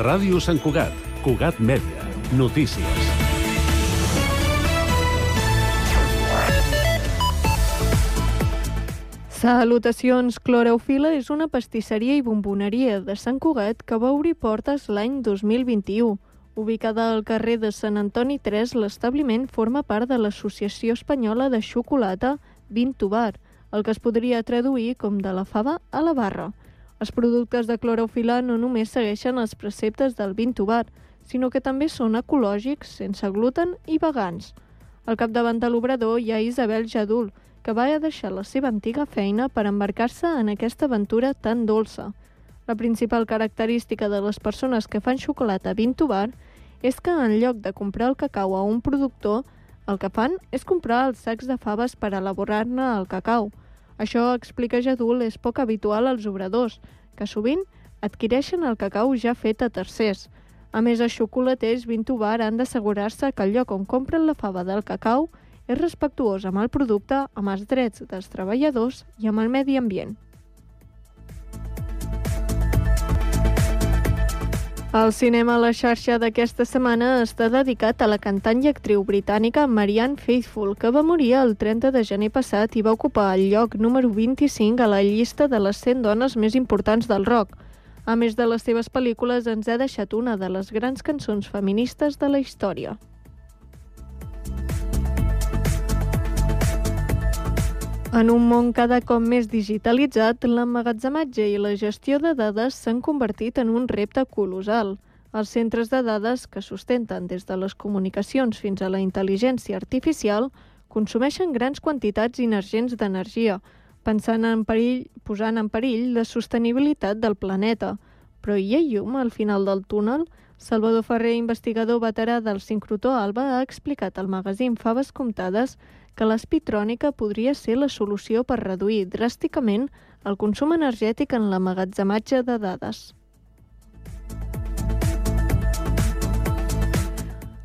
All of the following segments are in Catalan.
Ràdio Sant Cugat, Cugat Mèdia, notícies. Salutacions, Cloreofila és una pastisseria i bomboneria de Sant Cugat que va obrir portes l'any 2021. Ubicada al carrer de Sant Antoni 3, l'establiment forma part de l'Associació Espanyola de Xocolata Vintubar, el que es podria traduir com de la fava a la barra. Els productes de Cloreofila no només segueixen els preceptes del Vintubar, sinó que també són ecològics, sense gluten i vegans. Al capdavant de l'obrador hi ha Isabel Jadul, que va deixar la seva antiga feina per embarcar-se en aquesta aventura tan dolça. La principal característica de les persones que fan xocolata Vintubar és que en lloc de comprar el cacau a un productor, el que fan és comprar els sacs de faves per elaborar-ne el cacau. Això, explica Jadul, és poc habitual als obradors, que sovint adquireixen el cacau ja fet a tercers. A més, els xocolaters Vintubar han d'assegurar-se que el lloc on compren la fava del cacau és respectuós amb el producte, amb els drets dels treballadors i amb el medi ambient. El cinema a la xarxa d'aquesta setmana està dedicat a la cantant i actriu britànica Marianne Faithfull, que va morir el 30 de gener passat i va ocupar el lloc número 25 a la llista de les 100 dones més importants del rock. A més de les seves pel·lícules, ens ha deixat una de les grans cançons feministes de la història. En un món cada cop més digitalitzat, l'emmagatzematge i la gestió de dades s'han convertit en un repte colossal. Els centres de dades, que sustenten des de les comunicacions fins a la intel·ligència artificial, consumeixen grans quantitats inergents d'energia, posant en perill la sostenibilitat del planeta. Però hi ha llum al final del túnel? Salvador Ferrer, investigador veterà del sincrotró Alba, ha explicat al magazín Faves Comptades que l'espitrònica podria ser la solució per reduir dràsticament el consum energètic en l'emmagatzematge de dades.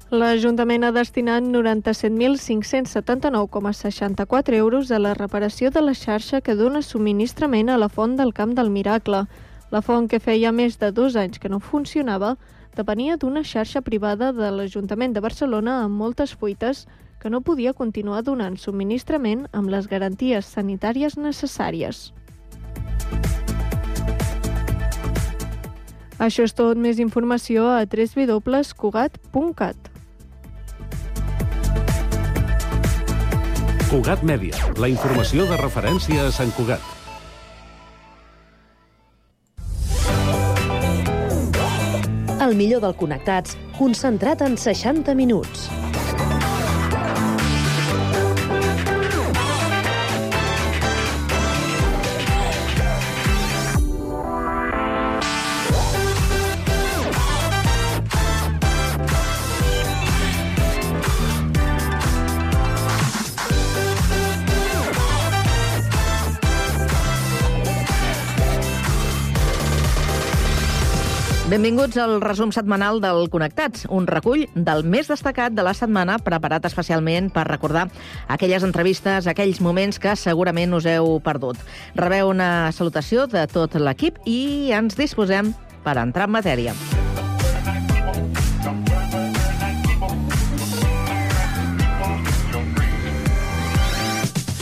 L'Ajuntament ha destinat 97.579,64 euros a la reparació de la xarxa que dona subministrament a la font del Camp del Miracle. La font, que feia més de 2 anys que no funcionava, depenia d'una xarxa privada de l'Ajuntament de Barcelona amb moltes fuites que no podia continuar donant subministrament amb les garanties sanitàries necessàries. Això és tot. Més informació a www.cugat.cat. Cugat Mèdia, la informació de referència a Sant Cugat. El millor del Connectats, concentrat en 60 minuts. Benvinguts al resum setmanal del Connectats, un recull del més destacat de la setmana preparat especialment per recordar aquelles entrevistes, aquells moments que segurament us heu perdut. Rebeu una salutació de tot l'equip i ens disposem per entrar en matèria.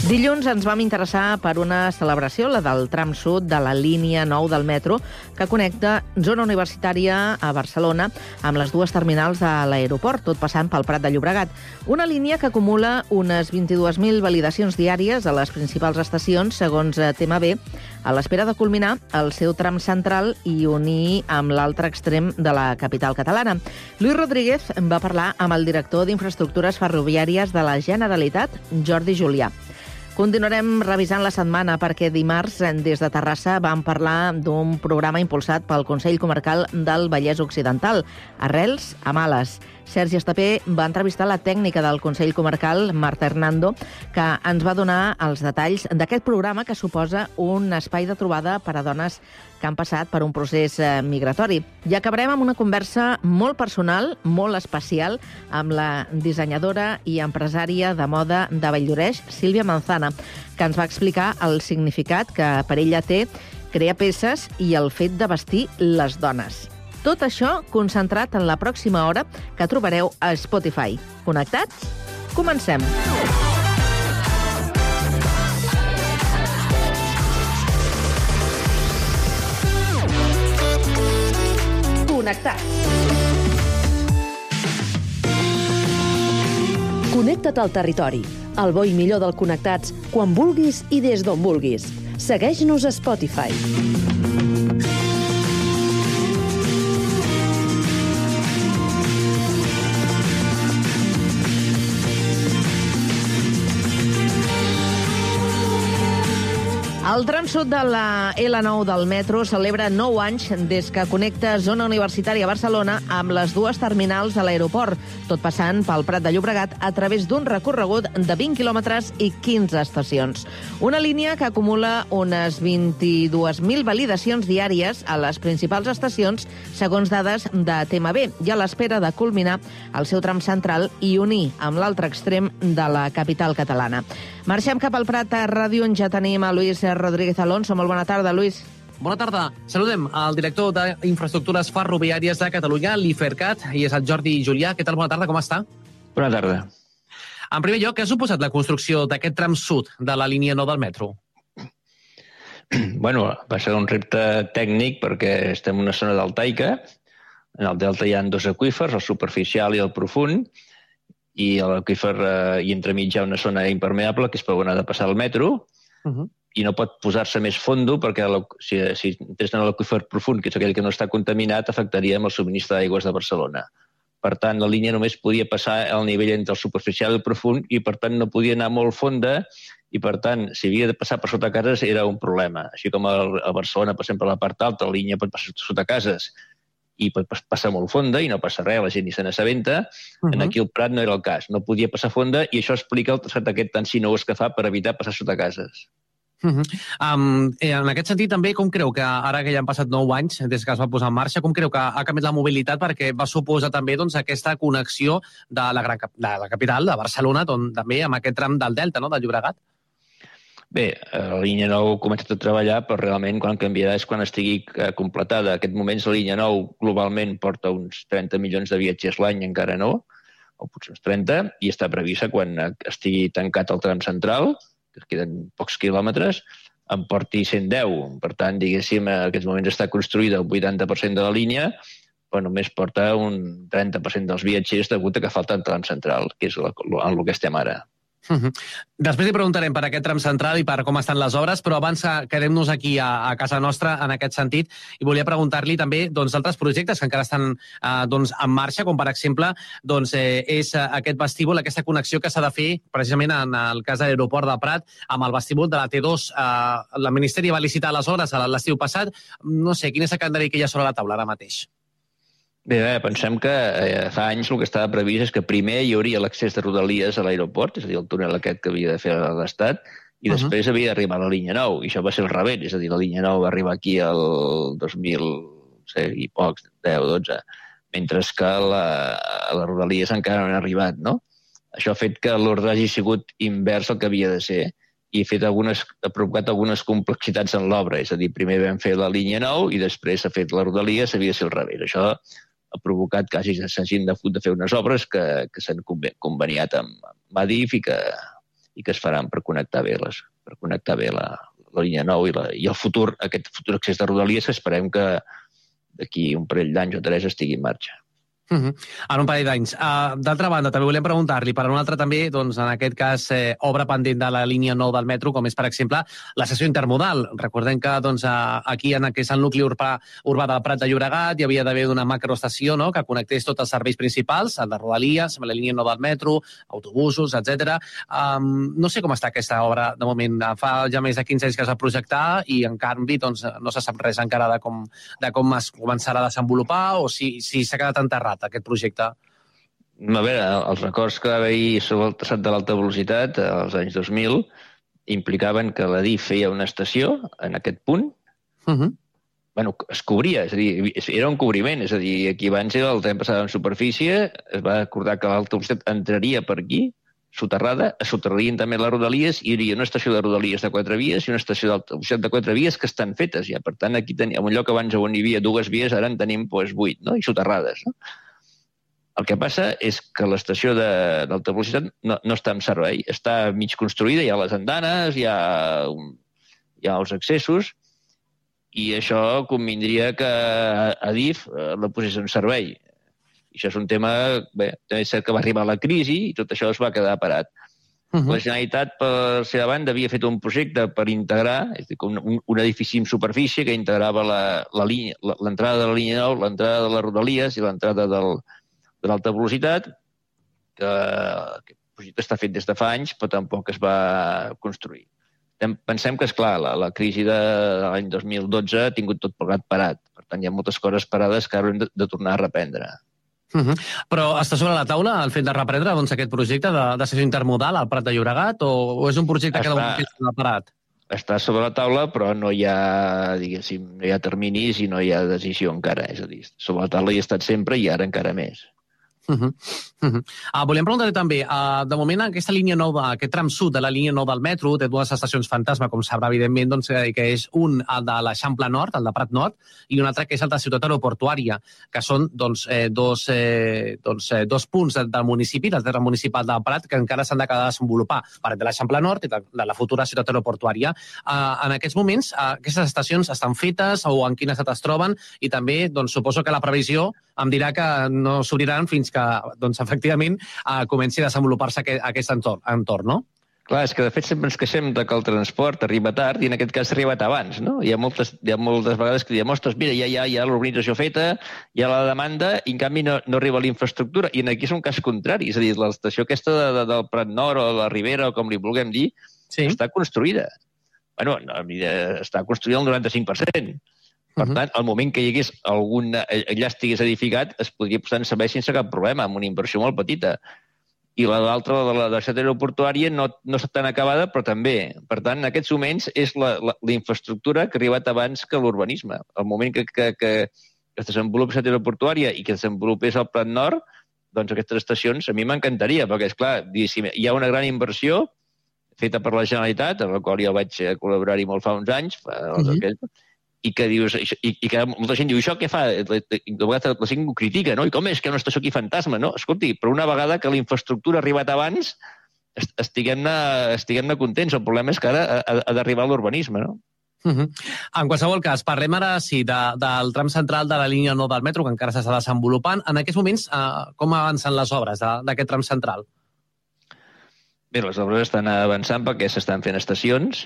Dilluns ens vam interessar per una celebració, la del tram sud de la línia 9 del metro, que connecta zona universitària a Barcelona amb les dues terminals de l'aeroport, tot passant pel Prat de Llobregat. Una línia que acumula unes 22.000 validacions diàries a les principals estacions, segons TMB, a l'espera de culminar el seu tram central i unir amb l'altre extrem de la capital catalana. Lluís Rodríguez va parlar amb el director d'Infraestructures Ferroviàries de la Generalitat, Jordi Julià. Continuarem revisant la setmana perquè dimarts des de Terrassa vam parlar d'un programa impulsat pel Consell Comarcal del Vallès Occidental, Arrels a Males. Sergi Estapé va entrevistar la tècnica del Consell Comarcal, Marta Hernando, que ens va donar els detalls d'aquest programa que suposa un espai de trobada per a dones que han passat per un procés migratori. I acabarem amb una conversa molt personal, molt especial, amb la dissenyadora i empresària de moda de Valldoreix, Sílvia Manzana, que ens va explicar el significat que per ella té crear peces i el fet de vestir les dones. Tot això concentrat en la pròxima hora que trobareu a Spotify. Connectats? Comencem! Connectats. Connecta't al territori. El bo i millor del Connectats, quan vulguis i des d'on vulguis. Segueix-nos a Spotify. El tram sud de la L9 del metro celebra 9 anys des que connecta zona universitària a Barcelona amb les dues terminals de l'aeroport, tot passant pel Prat de Llobregat a través d'un recorregut de 20 quilòmetres i 15 estacions. Una línia que acumula unes 22.000 validacions diàries a les principals estacions, segons dades de TMB, i a l'espera de culminar el seu tram central i unir amb l'altre extrem de la capital catalana. Marxem cap al Prat a Ràdio, on ja tenim a Luis Rodríguez Alonso. Molt bona tarda, Luis. Bona tarda. Saludem al director d'Infraestructures Ferroviàries de Catalunya, l'IFERCAT, i és el Jordi Julià. Què tal? Bona tarda, com està? Bona tarda. En primer lloc, què ha suposat la construcció d'aquest tram sud de la línia 9 del metro? Bueno, va ser un repte tècnic perquè estem en una zona deltaica. En el delta hi ha dos aqüífers, el superficial i el profund, i a l'aqüífer i entremig hi ha una zona impermeable que és per on ha de passar el metro, i no pot posar-se més fondo perquè si entres en l'aqüífer profund, que és aquell que no està contaminat, afectaria amb el subministre d'aigües de Barcelona. Per tant, la línia només podia passar al nivell entre el superficial i el profund i, per tant, no podia anar molt fonda i, per tant, si havia de passar per sota cases era un problema. Així com a Barcelona passem per la part alta, la línia pot passar sota cases i pot passar molt fonda i no passa res, la gent ni se n'assabenta. Aquí al Prat no era el cas, no podia passar fonda i això explica el traçat aquest tan sinuós que fa per evitar passar sota cases. En aquest sentit, també, com creu que ara que ja han passat 9 anys des que es va posar en marxa, com creu que ha canviat la mobilitat perquè va suposar també aquesta connexió de la capital, de Barcelona, també amb aquest tram del Delta, no?, del Llobregat? Bé, la línia 9 ha començat a treballar, però realment quan canviarà és quan estigui completada. En aquest moment la línia 9 globalment porta uns 30 milions de viatgers l'any, encara no, o potser uns 30, i està prevista quan estigui tancat el tram central, que queden pocs quilòmetres, en porti 110. Per tant, diguéssim, en aquests moments està construïda el 80% de la línia, però només porta un 30% dels viatgers degut a que falta el tram central, que és en el que estem ara. Després li preguntarem per aquest tram central i per com estan les obres, però abans quedem-nos aquí a casa nostra en aquest sentit i volia preguntar-li també d'altres projectes que encara estan en marxa, com per exemple és aquest vestíbul, aquesta connexió que s'ha de fer precisament en el cas de l'aeroport de Prat amb el vestíbul de la T2. El Ministeri va licitar les obres l'estiu passat. No sé, quin és el calendari que hi ha sobre la taula ara mateix? Bé, pensem que fa anys el que estava previst és que primer hi hauria l'accés de Rodalies a l'aeroport, és a dir, el túnel aquest que havia de fer l'Estat, i després havia d'arribar a la línia 9, i això va ser el revés, és a dir, la línia 9 va arribar aquí el 2000 i pocs, 10, 12, mentre que la Rodalies encara no han arribat, no? Això ha fet que l'ordre hagi sigut invers al que havia de ser, i ha provocat algunes complexitats en l'obra, és a dir, primer vam fer la línia 9 i després s'ha fet la Rodalies, havia de ser al revés. Això ha provocat que s'hagin de fer unes obres que s'han conveniat amb Adif i que es faran per connectar bé la línia 9 i el futur, aquest futur accés de Rodalies, que esperem que d'aquí un parell d'anys o 3 estigui en marxa. En un parell d'anys. D'altra banda, també volem preguntar-li per un altre també, en aquest cas, obra pendent de la línia 9 del metro, com és, per exemple, l'estació intermodal. Recordem que aquí, en el que és el nucli urbà del Prat de Llobregat, hi havia d'haver una macroestació que connectés tots els serveis principals, el de Rodalies, amb la línia 9 del metro, autobusos, etc. No sé com està aquesta obra, de moment. Fa ja més de 15 anys que es va projectar i, en canvi, no se sap res encara de com es començarà a desenvolupar o si s'ha quedat enterrat aquest projecte. A veure, els records que va haver-hi sobre el traçat de l'alta velocitat als anys 2000 implicaven que la DIF feia una estació en aquest punt. Es cobria, és a dir, era un cobriment, és a dir, aquí abans el tren passava en superfície, es va acordar que l'alta velocitat entraria per aquí, soterrada, es soterrarien també les rodalies, i hi hauria una estació de rodalies de 4 vies i una estació d'alta velocitat de 4 vies que estan fetes ja. Per tant, aquí tenim un lloc abans on hi havia 2 vies, ara en tenim 8, no? I soterrades. No? El que passa és que l'estació d'alta velocitat no està en servei, està mig construïda, hi ha les andanes, hi ha els accessos, i això convindria que Adif la posés en servei. I això és un tema... Bé, és cert que va arribar la crisi i tot això es va quedar parat. La Generalitat, per la seva banda, havia fet un projecte per integrar, és a dir, un edifici en superfície que integrava l'entrada de la línia 9, l'entrada de les rodalies i l'entrada de l'alta velocitat, que el projecte està fet des de fa anys, però tampoc es va construir. Pensem que, esclar, la crisi de l'any 2012 ha tingut tot plegat parat. Per tant, hi ha moltes coses parades que ara hem de tornar a reprendre. Però està sobre la taula el fet de reprendre aquest projecte d'estació intermodal al Prat de Llobregat o és un projecte que de moment està parat? Està sobre la taula, però no hi ha, diguéssim, no hi ha terminis i no hi ha decisió encara. És a dir, sobre la taula hi ha estat sempre i ara encara més. Volíem preguntar també, de moment aquesta línia 9, aquest tram sud de la línia 9 del metro té 2 estacions fantasma, com sabrà evidentment, que és un el de l'Eixample Nord, el de Prat Nord, i un altre que és el de Ciutat Aeroportuària, que són dos punts del municipi, del terme municipal de Prat, que encara s'han d'acabar de desenvolupar, per de l'Eixample Nord i de la futura Ciutat Aeroportuària. En aquests moments, aquestes estacions estan fetes o en quin estat es troben, i també suposo que la previsió em dirà que no s'obriran fins que, efectivament, comenci a desenvolupar-se aquest entorn, no? Clar, és que de fet sempre ens queixem que el transport arriba tard i en aquest cas ha arribat abans, no? Hi ha moltes vegades que diem, ostres, mira, ja hi ha l'urbanització feta, hi ha la demanda i en canvi no arriba l'infraestructura. I aquí és un cas contrari, és a dir, l'estació aquesta del Prat Nord o de la Ribera o com li vulguem dir, està construïda. Bueno, està construïda al 95%. Per tant, al moment que hi hagués allà estigués edificat, es podria posar en servei sense cap problema, amb una inversió molt petita. I l'altra, la de la ciutat aeroportuària, no està tan acabada, però també. Per tant, en aquests moments és la infraestructura que ha arribat abans que l'urbanisme. Al moment que es desenvolupi la ciutat aeroportuària i que es desenvolupés el Prat Nord, doncs aquestes estacions a mi m'encantaria, perquè, esclar, hi ha una gran inversió feta per la Generalitat, en la qual jo vaig col·laborar-hi molt fa uns anys, i que dius, i que molta gent diu, això què fa? De vegades la gent ho critica, no? I com és que una estació aquí fantasma, no? Escolti, però una vegada que la infraestructura ha arribat abans, estiguem-ne contents. El problema és que ara ha d'arribar l'urbanisme, no? En qualsevol cas, parlem ara, sí, del tram central de la línia 9 del metro, que encara s'està desenvolupant. En aquests moments, com avancen les obres d'aquest tram central? Bé, les obres estan avançant perquè s'estan fent estacions,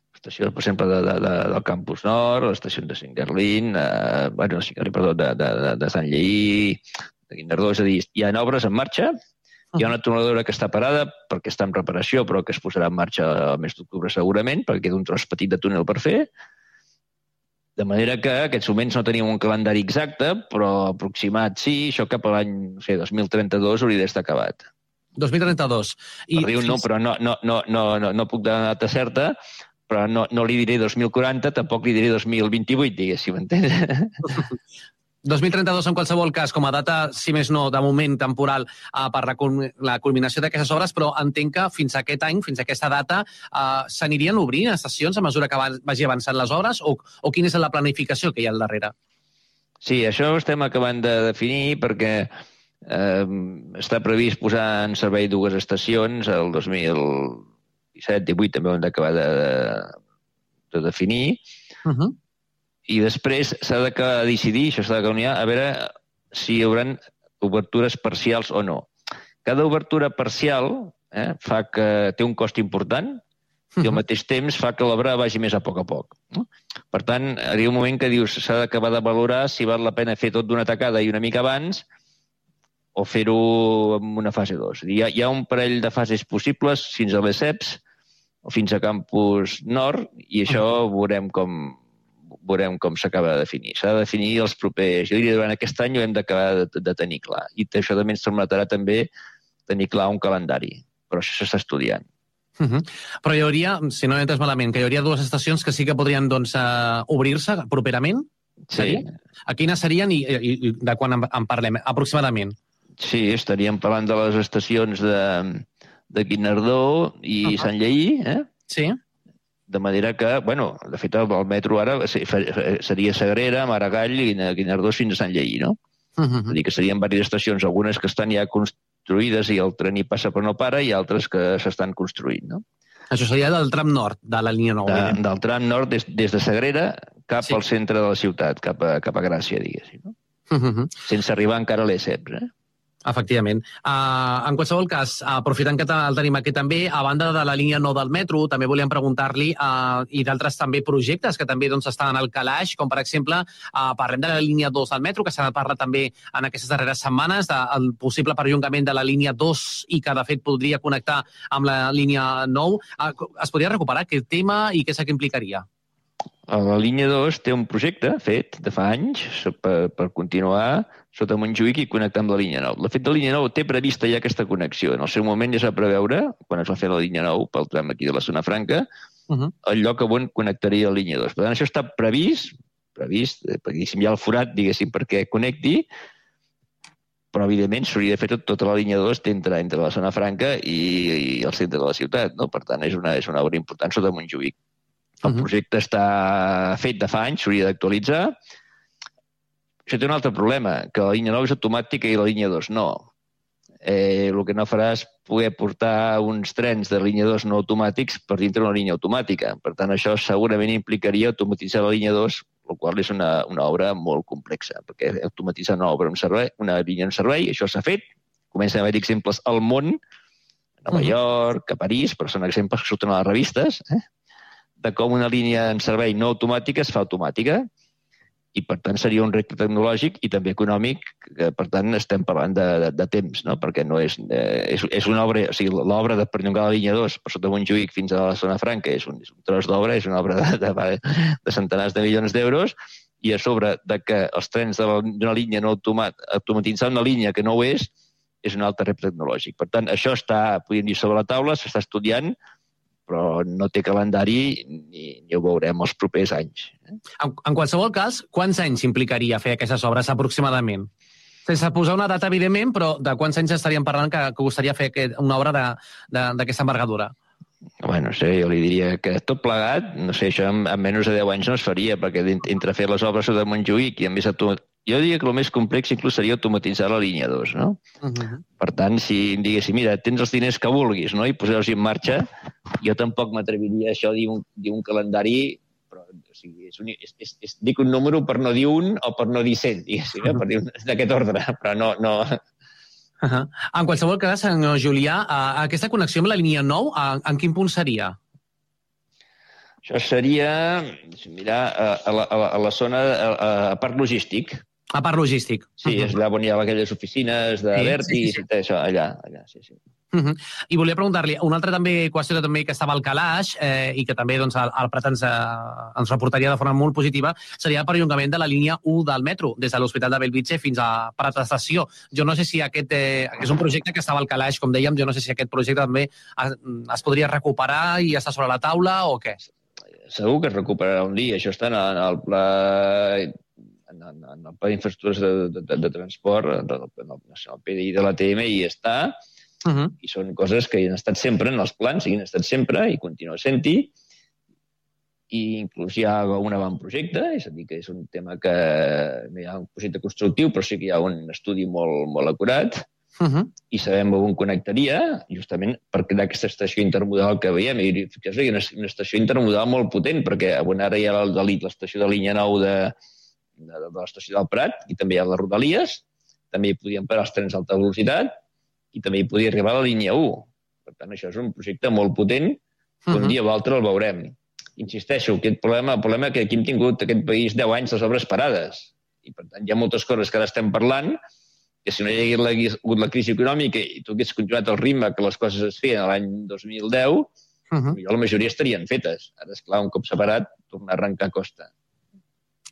l'estació, per exemple, del Campus Nord, l'estació de Singarlín, de Sant Lleí, de Guinardó, és a dir, hi ha obres en marxa, hi ha una tuneladora que està parada perquè està en reparació, però que es posarà en marxa al mes d'octubre segurament, perquè queda un tros petit de túnel per fer, de manera que en aquests moments no tenim un calendari exacte, però aproximat sí, això cap a l'any 2032 hauria d'estar acabat. 2032. Però no puc donar data certa, però no li diré 2040, tampoc li diré 2028, diguéssim, entens? 2032, en qualsevol cas, com a data, si més no, de moment temporal, per la culminació d'aquestes obres, però entenc que fins a aquest any, fins a aquesta data, s'anirien obrint estacions a mesura que vagi avançant les obres, o quina és la planificació que hi ha al darrere? Sí, això ho estem acabant de definir perquè està previst posar en servei 2 estacions el 2017-18 també ho hem d'acabar de definir, i després s'ha de decidir, això s'ha de canviar, a veure si hi haurà obertures parcials o no. Cada obertura parcial fa que té un cost important i al mateix temps fa que l'obra vagi més a poc. Per tant, arriba un moment que dius s'ha d'acabar de valorar si val la pena fer tot d'una tacada i una mica abans o fer-ho en una fase 2. Hi ha un parell de fases possibles fins a les CEPs o fins a Campus Nord i això veurem com s'acaba de definir. S'ha de definir els propers... Jo diria durant aquest any ho hem d'acabar de tenir clar. I això també ens permetrà també tenir clar un calendari. Però això s'està estudiant. Però hi hauria, si no he entès malament, que hi hauria 2 estacions que sí que podrien obrir-se properament? Sí. A quines serien i de quan en parlem, aproximadament? Sí, estaríem parlant de les estacions de Guinardó i Sant Lleí, Sí. de manera que, bueno, de fet, el metro ara seria Sagrera, Maragall, Guinardó fins a Sant Lleí, no? És a dir, que serien diverses estacions, algunes que estan ja construïdes i el tren hi passa però no para, i altres que s'estan construint, no? Això seria del tram nord de la línia 9. Del tram nord des de Sagrera cap al centre de la ciutat, cap a Gràcia, diguéssim, no? Sense arribar encara a l'Esseps, Efectivament. En qualsevol cas, aprofitant que el tenim aquí també, a banda de la línia 9 del metro, també volíem preguntar-li i d'altres també projectes que també estan al calaix, com per exemple, parlem de la línia 2 del metro, que s'ha parlat també en aquestes darreres setmanes, del possible perllongament de la línia 2 i que, de fet, podria connectar amb la línia 9. Es podria recuperar aquest tema i què és que implicaria? La línia 2 té un projecte fet de fa anys per continuar sota Montjuïc i connectar amb la línia 9. De fet, la línia 9 té prevista ja aquesta connexió. En el seu moment ja es va preveure, quan es va fer la línia 9 pel tram aquí de la Zona Franca, el lloc on connectaria la línia 2. Per tant, això està previst, perquè hi ha el forat, diguéssim, perquè connecti, però, evidentment, s'hauria de fer tota la línia 2 entre la Zona Franca i el centre de la ciutat, no? Per tant, és una obra important sota Montjuïc. El projecte està fet de fa anys, s'hauria d'actualitzar. Això té un altre problema, que la línia 9 és automàtica i la línia 2 no. El que no farà és poder portar uns trens de línia 2 no automàtics per dintre una línia automàtica. Per tant, això segurament implicaria automatitzar la línia 2, el qual és una obra molt complexa, perquè automatitzar una línia en servei, això s'ha fet. Comencen a haver exemples al món, a Nova York, a París, però són exemples que surten a les revistes, de com una línia en servei no automàtica es fa automàtica, i per tant seria un repte tecnològic i també econòmic, que per tant estem parlant de temps, no? Perquè no és una obra, o sigui, l'obra de perllongar la línia 2 per sota Montjuïc fins a la Zona Franca és un tros d'obra, és una obra de centenars de milions d'euros, i a sobre de que els trens d'una línia no automatitzar una línia que no ho és un altre repte tecnològic. Per tant, això està, podríem dir, sobre la taula, s'està estudiant, però no té calendari ni ho veurem els propers anys. En qualsevol cas, quants anys implicaria fer aquestes obres aproximadament? Sense posar una data, evidentment, però de quants anys estaríem parlant que costaria fer una obra d'aquesta envergadura? Bueno, no sé, jo li diria que tot plegat, no sé, això en menys de 10 anys no es faria, perquè entre fer les obres de Montjuïc i a més jo diria que el més complex inclús seria automatitzar la línia 2, no? Per tant, si em diguessin, mira, tens els diners que vulguis, no?, i posar-los en marxa, jo tampoc m'atreviria a això dir un calendari, però, o sigui, dic un número per no dir un o per no dir 100, diguéssim, per dir d'aquest ordre, però no... En qualsevol cas, senyor Julià, aquesta connexió amb la línia 9, en quin punt seria? Això seria, mirar, a la zona, a part logístic. A part logístic. Sí, és allà on hi ha aquelles oficines de Vertis, això, allà, sí. I volia preguntar-li, una altra qüestió també que estava al calaix i que també el Prat ens reportaria de forma molt positiva seria el perllongament de la línia 1 del metro, des de l'Hospital de Bellvitge fins a Prat Estació. Jo no sé si aquest és un projecte que estava al calaix, com dèiem, jo no sé si aquest projecte també es podria recuperar i està sobre la taula o què? Segur que es recuperarà un dia. Això està en el pla d'infraestructures de transport, el PDI de l'ATM, i està. I són coses que hi han estat sempre en els plans, hi han estat sempre i continua sent-hi. I inclús hi ha un avantprojecte, és a dir, que és un tema que no hi ha un projecte constructiu, però sí que hi ha un estudi molt acurat. I sabem on connectaria, justament per crear aquesta estació intermodal que veiem. I fixeu-vos, hi ha una estació intermodal molt potent, perquè ara hi ha l'estació de línia 9 de l'estació del Prat, i també hi ha les Rodalies, també hi podien parar els trens d'alta velocitat, i també hi podia arribar a la línia 1. Per tant, això és un projecte molt potent, que un dia o altre el veurem. Insisteixo, el problema que aquí hem tingut aquest país 10 anys les obres parades. I, per tant, hi ha moltes coses que ara estem parlant, que si no hi hagués hagut la crisi econòmica i tu hagués continuat el ritme que les coses es feien l'any 2010, la majoria estarien fetes. Ara, esclar, un cop separat, tornar a arrencar costa.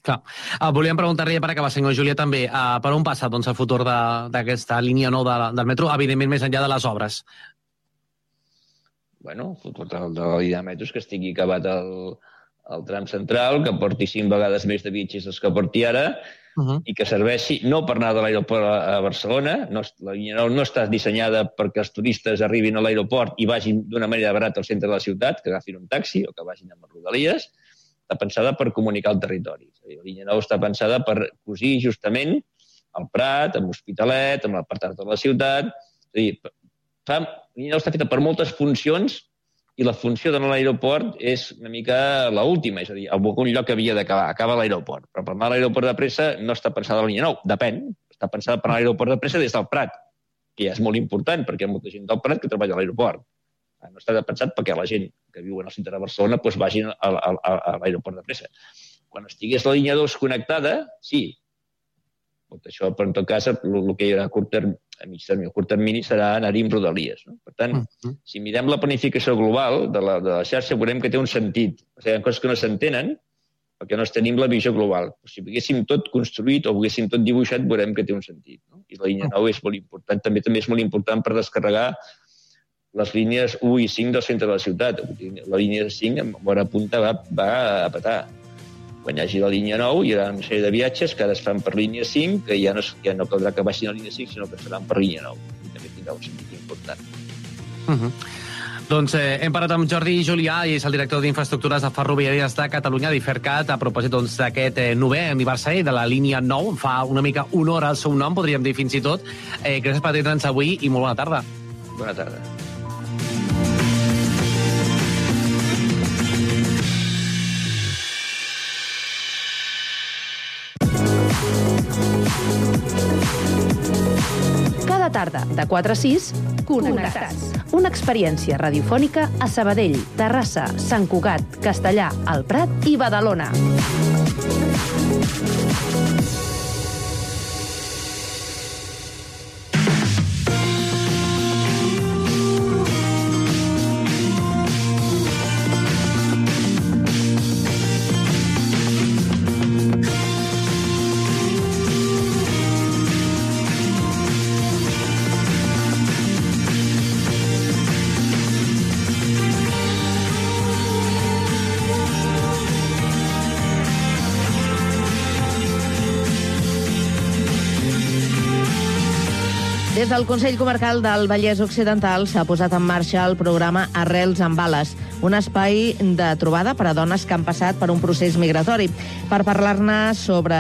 Clar. Volíem preguntar-li, per acabar, senyor Julià, també, per on passa el futur d'aquesta línia 9 del metro, evidentment més enllà de les obres? Bueno, el futur de la línia de metro és que estigui acabat el tram central, que porti 5 vegades més de viatgers dels que porti ara, i que serveixi no per anar de l'aeroport a Barcelona. La línia 9 no està dissenyada perquè els turistes arribin a l'aeroport i vagin d'una manera barata al centre de la ciutat, que agafin un taxi o que vagin amb Rodalies. Està pensada per comunicar el territori. La línia 9 està pensada per cosir justament al Prat, amb l'Hospitalet, amb l'apartat de la ciutat. És a dir, la línia 9 està feta per moltes funcions i la funció d'anar a l'aeroport és una mica l'última, és a dir, a algun lloc havia d'acabar, acaba a l'aeroport. Però per anar a l'aeroport de pressa no està pensada la línia 9, depèn. Està pensada per anar a l'aeroport de pressa des del Prat, que ja és molt important, perquè hi ha molta gent del Prat que treballa a l'aeroport. No està pensat perquè la gent que viu al centre de Barcelona doncs vagin a l'aeroport de pressa. Quan estigués la línia 2 connectada, sí. Tot això, però en tot cas, el que hi haurà a curt termini, a mig termini o curt termini serà anar-hi amb Rodalies. No? Per tant, si mirem la planificació global de la xarxa, veurem que té un sentit. O sigui, hi ha coses que no s'entenen perquè no tenim la visió global. Però si ho haguéssim tot construït o ho haguéssim tot dibuixat, veurem que té un sentit. No? I la línia 9 és molt important. També és molt important per descarregar les línies 1 i 5 del centre de la ciutat. La línia 5, en bona punta, va a petar. Quan hi hagi la línia 9, hi haurà una sèrie de viatges que ara es fan per línia 5, que ja no caldrà que baixin a línia 5, sinó que seran per línia 9. I també tindrà un sentit important. Doncs hem parlat amb Jordi Julià, i és el director d'Infraestructures de Ferroviàries de Catalunya, d'IFERCAT, a propòsit d'aquest 9è aniversari de la línia 9. Fa una mica honor al seu nom, podríem dir fins i tot. Gràcies per atendre'ns avui i molt bona tarda. Bona tarda. Cada tarda, de 4 a 6, Connectats. Una experiència radiofònica a Sabadell, Terrassa, Sant Cugat, Castellà, el Prat i Badalona. Des del Consell Comarcal del Vallès Occidental s'ha posat en marxa el programa Arrels amb Bales, un espai de trobada per a dones que han passat per un procés migratori. Per parlar-ne sobre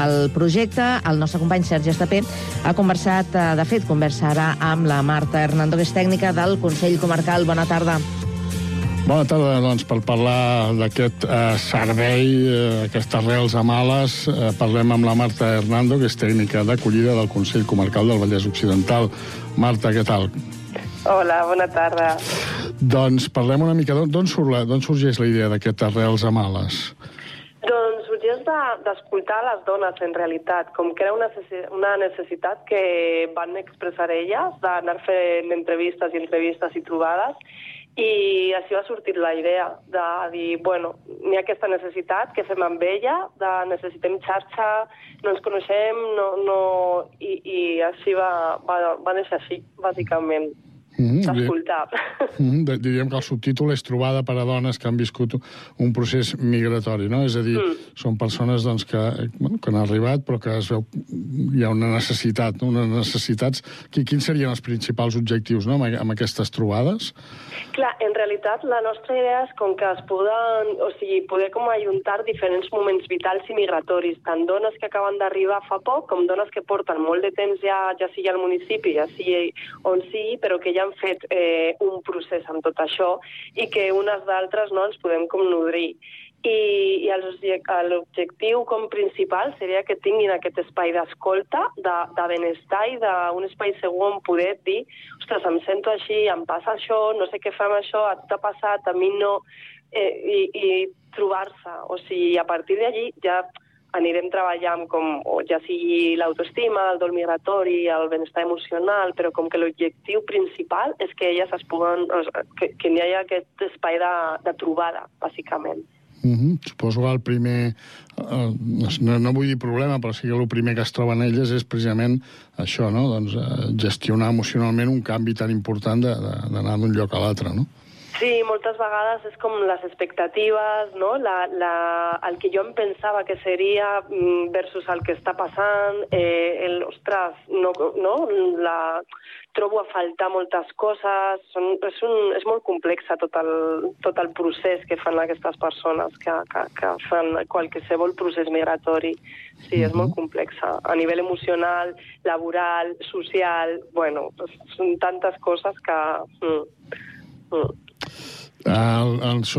el projecte, el nostre company Sergi Estapé ha conversat, de fet, conversarà amb la Marta Hernando, que és tècnica del Consell Comarcal. Bona tarda. Bona tarda, doncs, per parlar d'aquest servei, aquestes arrels amb ales, parlem amb la Marta Hernando, que és tècnica d'acollida del Consell Comarcal del Vallès Occidental. Marta, què tal? Hola, bona tarda. Doncs parlem una mica d'on sorgeix la idea d'aquest arrels amb ales. Doncs sorgeix d'escoltar les dones, en realitat, com que era una necessitat que van expressar elles, d'anar fent entrevistes i trobades, i així va sortir la idea de dir, bueno, n'hi ha aquesta necessitat, què fem amb ella, necessitem xarxa, no ens coneixem, i així va néixer així, bàsicament. D'escoltar. Diríem que el subtítol és trobada per a dones que han viscut un procés migratori, no? És a dir, són persones doncs, que han arribat però que es veu hi ha una necessitat, unes necessitats. Quins serien els principals objectius, no?, amb aquestes trobades? Clar, en realitat la nostra idea és com que es poder com ajuntar diferents moments vitals i migratoris, tant dones que acaben d'arribar fa poc com dones que porten molt de temps ja sigui al municipi, ja sigui on sigui, però que ja han fet un procés amb tot això i que unes d'altres ens podem com nodrir. I l'objectiu com principal seria que tinguin aquest espai d'escolta, de benestar i d'un espai segur on poder dir, ostres, em sento així, em passa això, no sé què fa amb això, a tu t'ha passat, a mi no, i trobar-se. O sigui, a partir d'allí ja anirem treballant com ja sigui l'autoestima, el dol migratori, el benestar emocional, però com que l'objectiu principal és que elles es puguen, que n'hi hagi aquest espai de trobada, bàsicament. Suposo que el primer, no vull dir problema, però sí que el primer que es troben elles és precisament això, no? Doncs gestionar emocionalment un canvi tan important d'anar d'un lloc a l'altre, no? Sí, moltes vegades és com les expectatives, no? El que jo em pensava que seria versus el que està passant, ostres, no, trobo a faltar moltes coses, és molt complexa tot el procés que fan aquestes persones que fan qualsevol procés migratori. Sí, és molt complexa, a nivell emocional, laboral, social, bueno, són tantes coses que... Aquest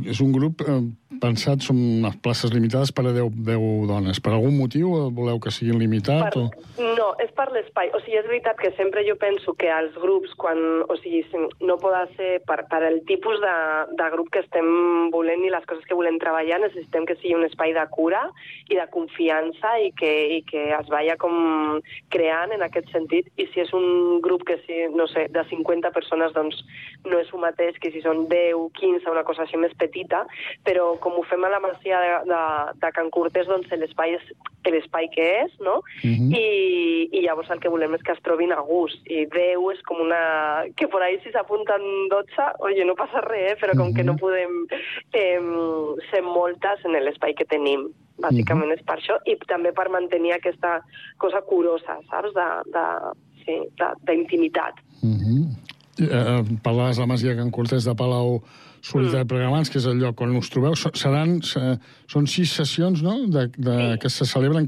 és un grup pensat, són unes places limitades per a 10 dones. Per algun motiu voleu que siguin limitats? No, és per l'espai. O sigui, és veritat que sempre jo penso que els grups, no poden ser per el tipus de grup que estem volent i les coses que volem treballar, necessitem que sigui un espai de cura i de confiança i que es vaya com creant en aquest sentit. I si és un grup que, no sé, de 50 persones, doncs no és el mateix que si són 10, 15, una cosa així més petita, però com ho fem a la Masia de Can Cortés, doncs l'espai és l'espai que és, no? I llavors el que volem és que es trobin a gust. I 10 és com una... que por ahí si s'apunten 12, oye, no passa res, però com que no podem ser moltes en l'espai que tenim. Bàsicament és per això, i també per mantenir aquesta cosa curosa, saps? D'intimitat. Parlaves de la Masia Can Cortés de Palau Solità i Plegamans, que és el lloc on us trobeu. Són 6 sessions, no?, que se celebren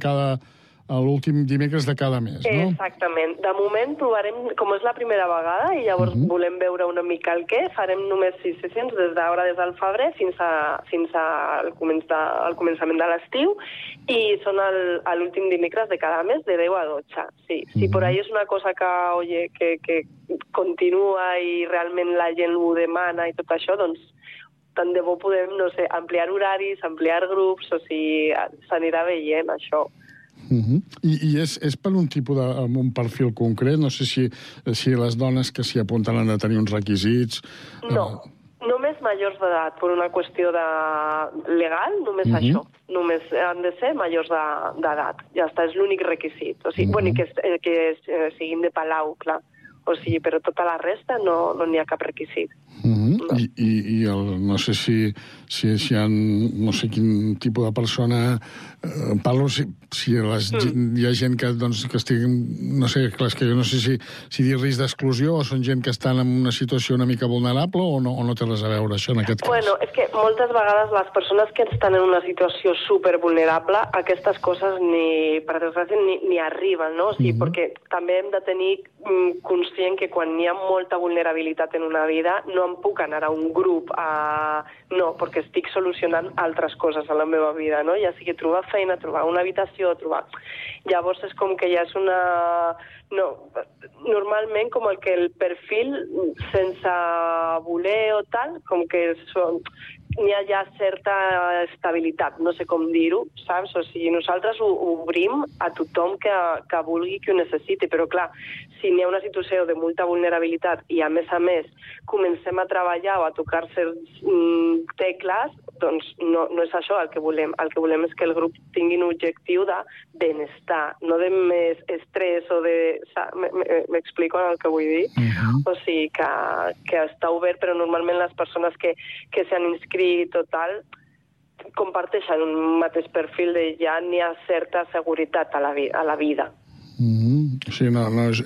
l'últim dimecres de cada mes, no? Exactament. De moment provarem, com és la primera vegada, i llavors volem veure una mica el què, farem només 6 sessions des del febrer fins al començament de l'estiu, i són l'últim dimecres de cada mes, de 10 a 12. Sí, si per ahí és una cosa que continua i realment la gent ho demana i tot això, doncs tant de bo podem, no sé, ampliar horaris, ampliar grups, o sigui, s'anirà veient això. I és per un tipus un perfil concret? No sé si les dones que s'hi apunten han de tenir uns requisits... No, només majors d'edat, per una qüestió legal, només això. Només han de ser majors d'edat. Ja està, és l'únic requisit. O sigui, que siguin de Palau, clar. O sigui, però tota la resta no n'hi ha cap requisit. I no sé si hi ha... no sé quin tipus de persona... Parlo si hi ha gent que estigui... No sé, clar, és que jo no sé si dir risc d'exclusió o són gent que estan en una situació una mica vulnerable o no té res a veure, això, en aquest cas. Bueno, és que moltes vegades les persones que estan en una situació supervulnerable, aquestes coses per desgràcia ni arriben, no? O sigui, perquè també hem de tenir conscient que quan hi ha molta vulnerabilitat en una vida no em puc anar a un grup no, perquè estic solucionant altres coses a la meva vida, no? Ja sigui trobar feina, trobar una habitació, Llavors és com que ja és una... No, normalment com el perfil sense voler o tal, com que n'hi ha ja certa estabilitat, no sé com dir-ho, saps? O sigui, nosaltres ho obrim a tothom que vulgui, que ho necessiti, però clar, si n'hi ha una situació de molta vulnerabilitat i a més comencem a treballar o a tocar certs tecles, doncs no és això el que volem. El que volem és que el grup tingui un objectiu de benestar, no de més estrès o de... M'explico el que vull dir? O sigui, que està obert, però normalment les persones que s'han inscrit o tal comparteixen un mateix perfil de ja n'hi ha certa seguretat a la vida. O sigui,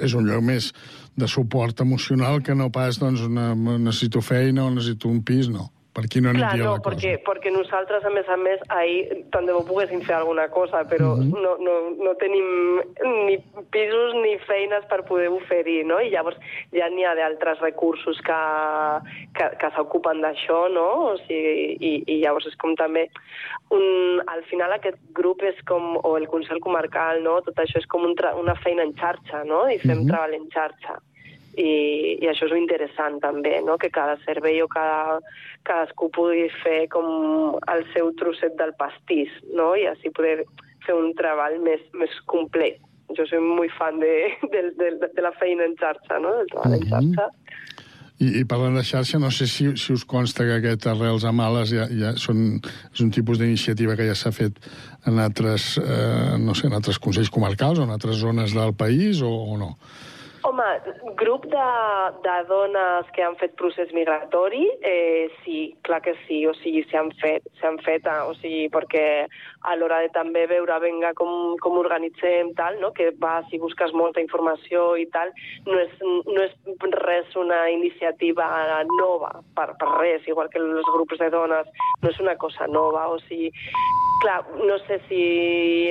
és un lloc més de suport emocional que no pas, doncs, necessito feina o necessito un pis, no. Per aquí no aniria la cosa. Perquè nosaltres, a més, ahir tant de bo poguéssim fer alguna cosa, però no tenim ni pisos ni feines per poder oferir, no? I llavors ja n'hi ha d'altres recursos que s'ocupen d'això, no? O sigui, i llavors és com també... Al final aquest grup és com... o el Consell Comarcal, no? Tot això és com una feina en xarxa, no? I fem treball en xarxa. I això és interessant també, no? Que cada servei o cadascú pugui fer com el seu trosset del pastís, no? I així poder fer un treball més complet. Jo soy muy fan de la feina en xarxa, no? Del treball en xarxa. I parlant de xarxa, no sé si us consta que aquest Arrels a Males és un tipus d'iniciativa que ja s'ha fet en altres consells comarcals o en altres zones del país o no? Home, grup de dones que han fet procés migratori, sí, clar que sí, o sigui, s'han fet, o sigui, perquè a l'hora de també veure, venga, com organitzem, tal, no? Que si busques molta informació i tal, no és res una iniciativa nova, per res, igual que els grups de dones, no és una cosa nova, o sigui, clar, no sé si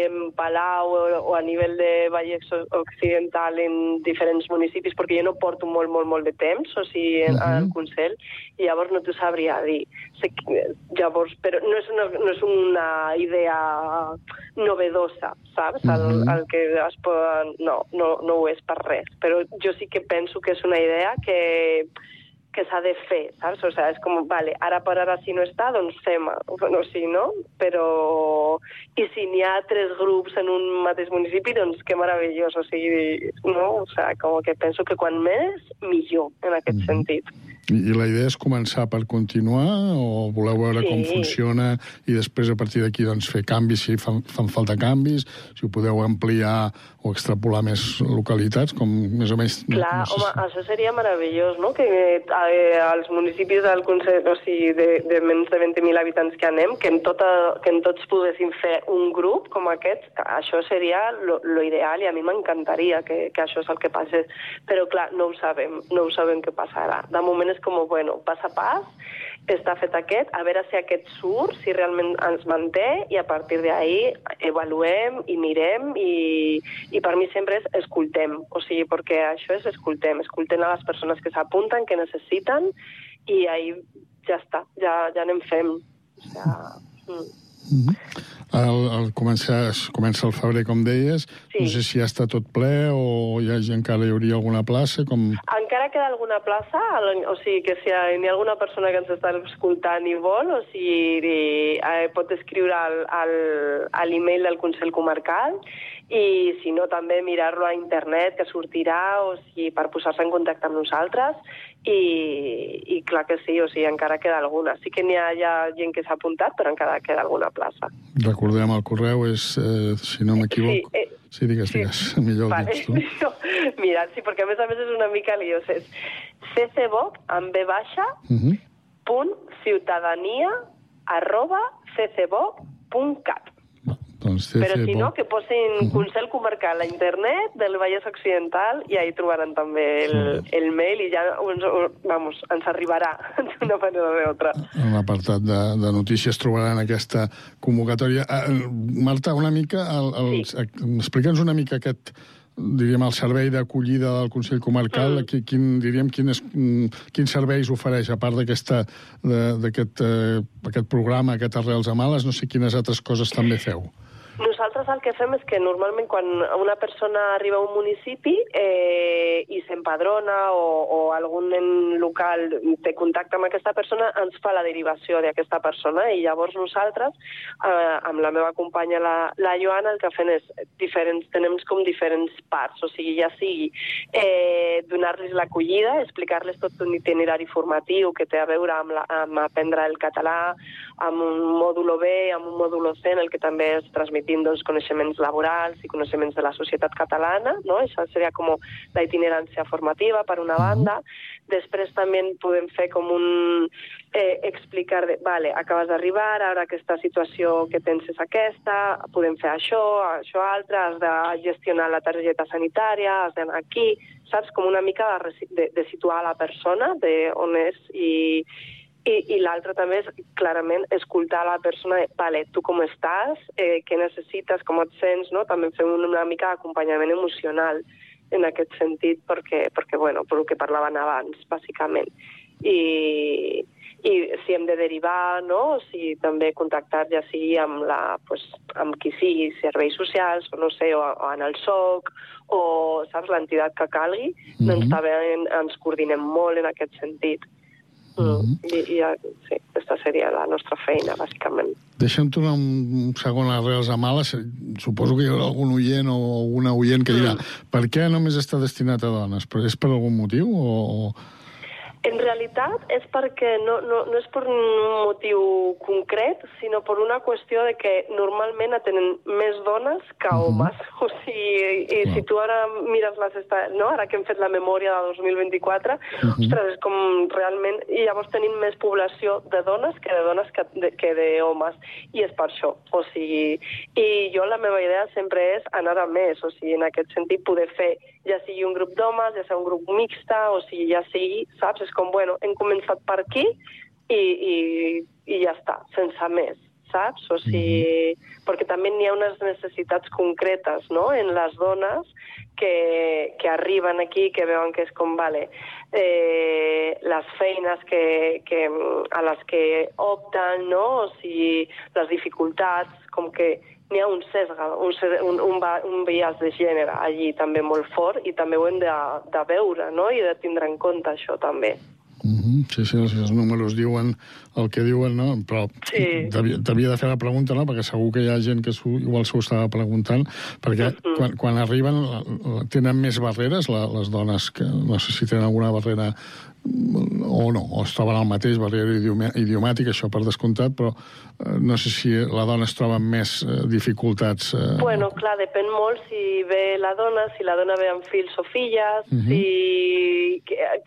en Palau o a nivell de Vallès Occidental en diferents municipis, perquè jo no porto molt de temps, o sigui, al Consell, i llavors no t'ho sabria dir. Llavors, però no és una idea novedosa, saps? El que es poden... No ho és per res, però jo sí que penso que és una idea que s'ha de fer, saps? O sigui, és com, vale, ara per ara si no està, doncs fem-ho, o sigui, no? Però... I si n'hi ha 3 grups en un mateix municipi, doncs que meravellós, o sigui, no? O sigui, com que penso que quan més, millor, en aquest sentit. I la idea és començar per continuar o voleu veure com funciona i després a partir d'aquí doncs, fer canvis si fan falta canvis, si ho podeu ampliar o extrapolar més localitats, com més o menys... Clar, home, això seria meravellós, no? Que als municipis del Consell, o sigui, de menys de 20.000 habitants que anem, que en tots poguéssim fer un grup com aquest, això seria lo ideal i a mi m'encantaria que això és el que passés. Però clar, no ho sabem què passarà. De moment és com, bueno, pas a pas, està fet aquest, a veure si aquest surt, si realment ens manté, i a partir d'ahí avaluem i mirem, i per mi sempre és escoltem, o sigui, perquè això és escoltem a les persones que s'apunten, que necessiten, i ahí ja està, ja anem fent. O sigui, Comença el febrer, com deies. Sí. No sé si ja està tot ple o encara hi hauria alguna plaça. Encara queda alguna plaça, o sigui que si hi ha alguna persona que ens està escoltant i vol, o sigui, pot escriure a l'email del Consell Comarcal, i si no també mirar-lo a internet, que sortirà, o sigui, per posar-se en contacte amb nosaltres, i clar que sí, o sigui, encara queda alguna. Sí que n'hi ha gent que s'ha apuntat, però encara queda alguna plaça. Recordem, el correu és, si no m'equivoco... Sí, digues, millor ho dius tu. Mira, sí, perquè a més és una mica liós. És ccboc, amb B baixa, ciutadania@ccboc.cat. Però si no, que posin Consell Comarcal a internet del Vallès Occidental i ahí trobaran també el mail i ja ens arribarà d'una manera o d'altra. En l'apartat de notícies trobaran aquesta convocatòria. Marta, una mica, explica'ns una mica aquest, diríem, el servei d'acollida del Consell Comarcal, quins serveis ofereix, a part d'aquest programa, aquest Arrels a Males, no sé quines altres coses també feu. Nosaltres el que fem és que normalment quan una persona arriba a un municipi i s'empadrona o algun local té contacte amb aquesta persona, ens fa la derivació d'aquesta persona i llavors nosaltres, amb la meva companya la Joana, el que fem és tenem com diferents parts, o sigui, ja sigui donar-los l'acollida, explicar-los tot un itinerari formatiu que té a veure amb aprendre el català, amb un mòdulo B, amb un mòdulo C, en el que també es transmetint coneixements laborals i coneixements de la societat catalana, no? Això seria com la itinerància formativa, per una banda. Després també podem fer com explicar, vale, acabes d'arribar, ara aquesta situació que tens és aquesta, podem fer això altre, has de gestionar la targeta sanitària, has d'anar aquí, saps? Com una mica de situar la persona, d'on és i l'altre també és, clarament, escoltar la persona, vale, tu com estàs, què necessites, com et sents, no? També fem una mica d'acompanyament emocional en aquest sentit, perquè bueno, per el que parlaven abans, bàsicament. I si hem de derivar, no? O si també contactar ja sigui amb qui sigui, serveis socials, o no sé, o en el SOC, o, saps, l'entitat que calgui, doncs també ens coordinem molt en aquest sentit. I sí, aquesta seria la nostra feina, bàsicament. Deixa'm tornar un segon a Arrels a Males. Suposo que hi haurà algun oient o una oient que dirà per què només està destinat a dones? És per algun motiu o...? En realitat és perquè no és per un motiu concret, sinó per una qüestió de que normalment atenen més dones que homes. O sigui, si tu ara mires ara que hem fet la memòria de 2024, ostres, és com realment... I llavors tenim més població de dones que d'homes. I és per això. O sigui, i jo la meva idea sempre és anar a més. O sigui, en aquest sentit, poder fer ja sigui un grup d'homes, ja sigui un grup mixta, o sigui, ja sigui, saps? És com, bueno, hem començat per aquí i ja està, sense més, saps? O sigui, perquè també n'hi ha unes necessitats concretes, no?, en les dones que arriben aquí, que veuen que és com, vale, les feines a les que opten, no?, o sigui, les dificultats, com que n'hi ha un sesga, un biaix de gènere allí també molt fort i també ho hem de veure, no?, i de tindre en compte això també. Sí, els números diuen el que diuen, no? Però t'havia de fer la pregunta, no?, perquè segur que hi ha gent que igual s'ho estava preguntant, perquè quan arriben tenen més barreres les dones, que no sé si tenen alguna barrera o no, o es troben al mateix, barrera idiomàtica, això per descomptat, però no sé si la dona es troba amb més dificultats. Bueno, clar, depèn molt si ve la dona ve amb fills o filles,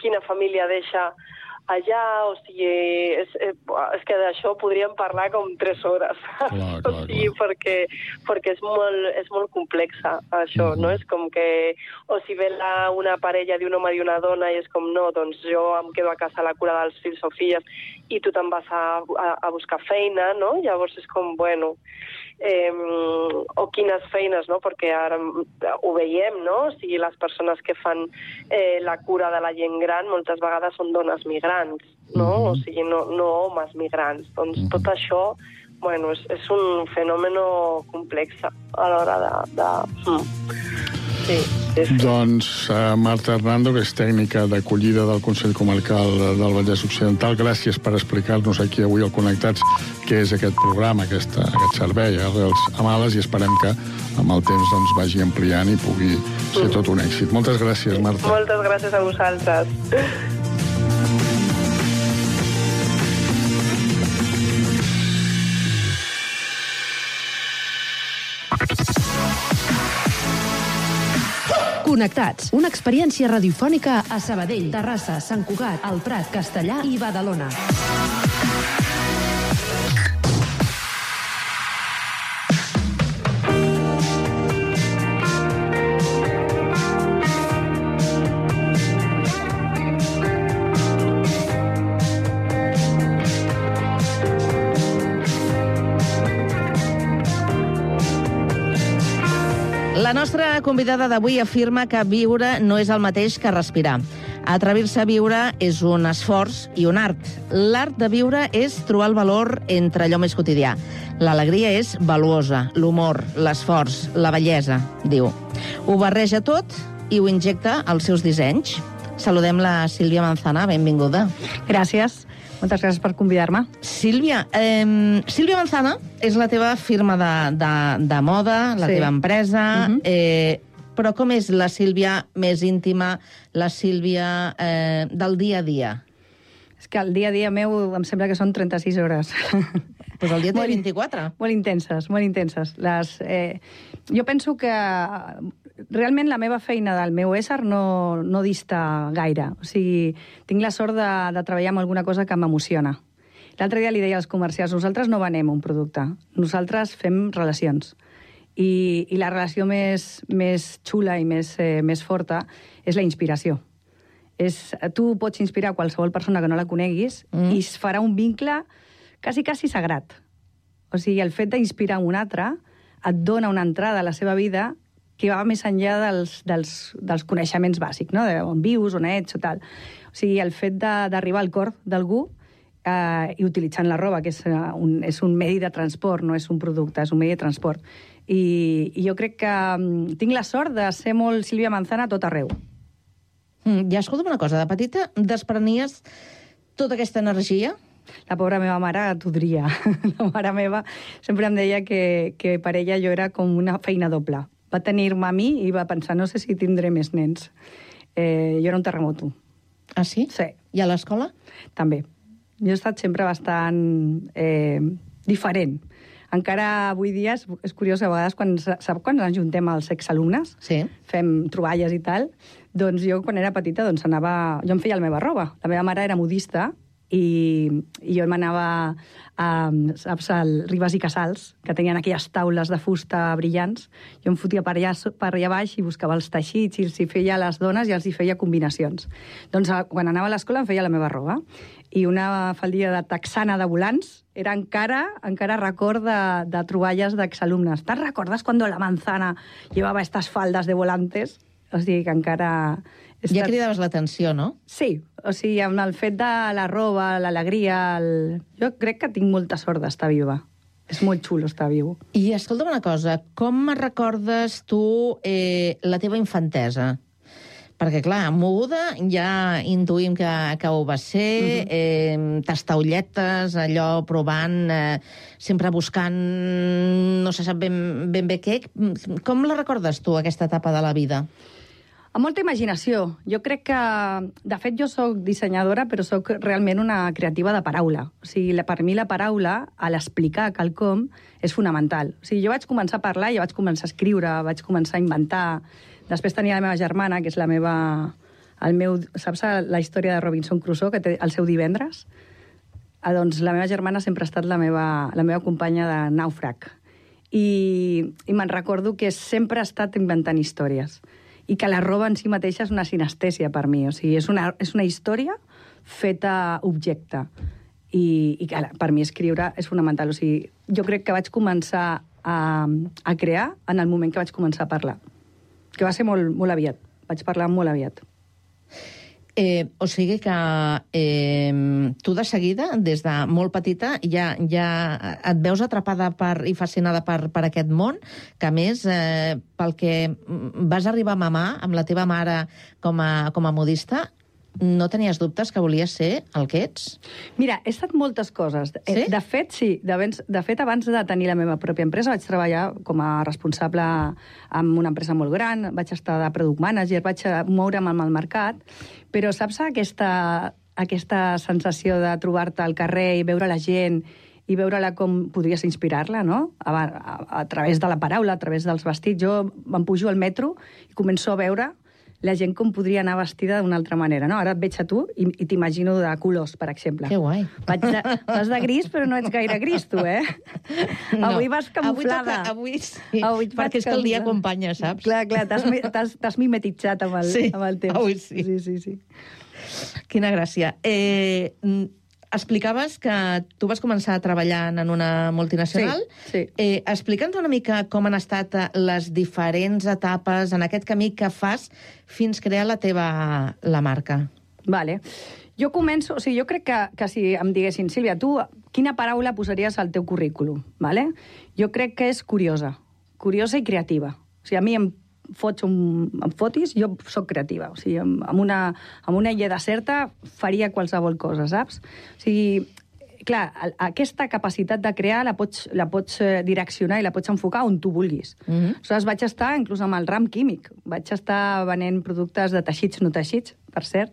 quina família deixa allà, o sigui, és que d'això podríem parlar com 3 hores. Clar. O sigui, perquè és molt complexa, això, no? És com que, o si ve una parella d'un home i una dona i és com, no, doncs jo em quedo a casa a la cura dels fills o filles i tu te'n vas a buscar feina, no? Llavors és com, bueno, o quines feines, no? Perquè ara ho veiem, no? O sigui, les persones que fan la cura de la gent gran moltes vegades són dones migrants, no? O sigui, no homes migrants. Doncs tot això, bueno, és un fenomen complex a l'hora de... Sí. Doncs Marta Hernando, que és tècnica d'acollida del Consell Comarcal del Vallès Occidental, gràcies per explicar-nos aquí avui al Connectats què és aquest programa, aquest servei Arrels Amales, i esperem que amb el temps doncs, vagi ampliant i pugui ser tot un èxit. Moltes gràcies, Marta. Moltes gràcies a vosaltres. Connectats, una experiència radiofònica a Sabadell, Terrassa, Sant Cugat, El Prat, Castellà i Badalona. La nostra convidada d'avui afirma que viure no és el mateix que respirar. Atrevir-se a viure és un esforç i un art. L'art de viure és trobar el valor entre allò més quotidià. L'alegria és valuosa, l'humor, l'esforç, la bellesa, diu. Ho barreja tot i ho injecta als seus dissenys. Saludem la Sílvia Manzana, benvinguda. Gràcies. Moltes gràcies per convidar-me. Sílvia, Sílvia Manzana és la teva firma de moda, la teva empresa, però com és la Sílvia més íntima, la Sílvia del dia a dia? És que el dia a dia meu em sembla que són 36 hores. Pues el dia té 24. Molt intenses, molt intenses. Jo penso que realment la meva feina del meu ésser no dista gaire. O sigui, tinc la sort de treballar amb alguna cosa que m'emociona. L'altre dia li deia als comercials, nosaltres no venem un producte, nosaltres fem relacions. I la relació més xula i més forta és la inspiració. Tu pots inspirar qualsevol persona que no la coneguis i es farà un vincle quasi sagrat. O sigui, el fet d'inspirar un altre et dona una entrada a la seva vida que va més enllà dels coneixements bàsics, no? On vius, on ets o tal. O sigui, el fet d'arribar al cor d'algú i utilitzant la roba, que és un medi de transport, no és un producte, és un medi de transport. I jo crec que tinc la sort de ser molt Sílvia Manzana a tot arreu. Ja, escolta'm una cosa, de petita desprenies tota aquesta energia? La pobra meva mare t'odria. La mare meva sempre em deia que per ella jo era com una feina doble. Va tenir-me a mi i va pensar, no sé si tindré més nens. Jo era un terremoto. Ah, sí? Sí. I a l'escola? També. Jo he estat sempre bastant diferent. Encara avui dia és curiós, a vegades, quan ens ajuntem els exalumnes, fem troballes i tal, doncs jo, quan era petita, jo em feia la meva roba. La meva mare era modista i jo m'anava saps, al Ribas i Casals, que tenien aquelles taules de fusta brillants. Jo em fotia per allà baix i buscava els teixits i els hi feia a les dones i els hi feia combinacions. Doncs quan anava a l'escola em feia la meva roba. I una faldilla de texana de volants era encara record de troballes d'exalumnes. ¿Te recordas cuando la manzana llevaba estas faldas de volantes? O sigui que encara... Ja cridaves l'atenció, no? Sí, o sigui, amb el fet de la roba, l'alegria... Jo crec que tinc molta sort d'estar viva. És molt xulo estar viu. I escolta'm una cosa, com recordes tu la teva infantesa? Perquè, clar, moguda ja intuïm que ho va ser, tastaulletes, allò provant, sempre buscant, no se sap ben bé què. Com la recordes tu, aquesta etapa de la vida? Amb molta imaginació. Jo crec que... De fet, jo sóc dissenyadora, però sóc realment una creativa de paraula. O sigui, per mi la paraula, a l'explicar quelcom, és fonamental. O sigui, jo vaig començar a parlar, jo vaig començar a escriure, vaig començar a inventar. Després tenia la meva germana, que és saps la història de Robinson Crusoe, que té el seu divendres? Doncs la meva germana sempre ha estat la meva companya de nàufrag. I me'n recordo que sempre ha estat inventant històries. I que la roba en si mateixa és una sinestèsia per mi. O sigui, és una història feta objecte. I que per mi escriure és fonamental. O sigui, jo crec que vaig començar a crear en el moment que vaig començar a parlar. Que va ser molt, molt aviat. Vaig parlar molt aviat. O sigui que tu de seguida, des de molt petita, ja et veus atrapada i fascinada per aquest món, que a més, pel que vas arribar a mamar amb la teva mare com a modista, no tenies dubtes que volies ser el que ets? Mira, he estat moltes coses. Sí? De fet, sí. De fet, abans de tenir la meva pròpia empresa, vaig treballar com a responsable en una empresa molt gran, vaig estar de product manager, vaig moure'm amb el mercat, però saps aquesta sensació de trobar-te al carrer i veure la gent i veure-la com podries inspirar-la, no? A través de la paraula, a través dels vestits. Jo em pujo al metro i començo a veure la gent com podria anar vestida d'una altra manera, no? Ara et veig a tu i t'imagino de colors, per exemple. Que guai. Vas de gris, però no ets gaire gris, tu, eh? No. Avui vas camuflada. Avui sí, perquè és que el dia acompanya, saps? Clar, t'has mimetitzat amb el temps. Avui sí. Sí. Quina gràcia. Explicaves que tu vas començar treballant en una multinacional. Sí. Explica'ns una mica com han estat les diferents etapes en aquest camí que fas fins crear la marca. Vale. Jo començo... O sigui, jo crec que si em diguessin, Sílvia, tu quina paraula posaries al teu currículum? Vale? Jo crec que és curiosa i creativa. O sigui, a mi em fotis, jo sóc creativa. O sigui, amb una illa deserta faria qualsevol cosa, saps? O sigui, clar, aquesta capacitat de crear la pots direccionar i la pots enfocar on tu vulguis. Aleshores, vaig estar inclús amb el ram químic. Vaig estar venent productes de teixits no teixits, per cert.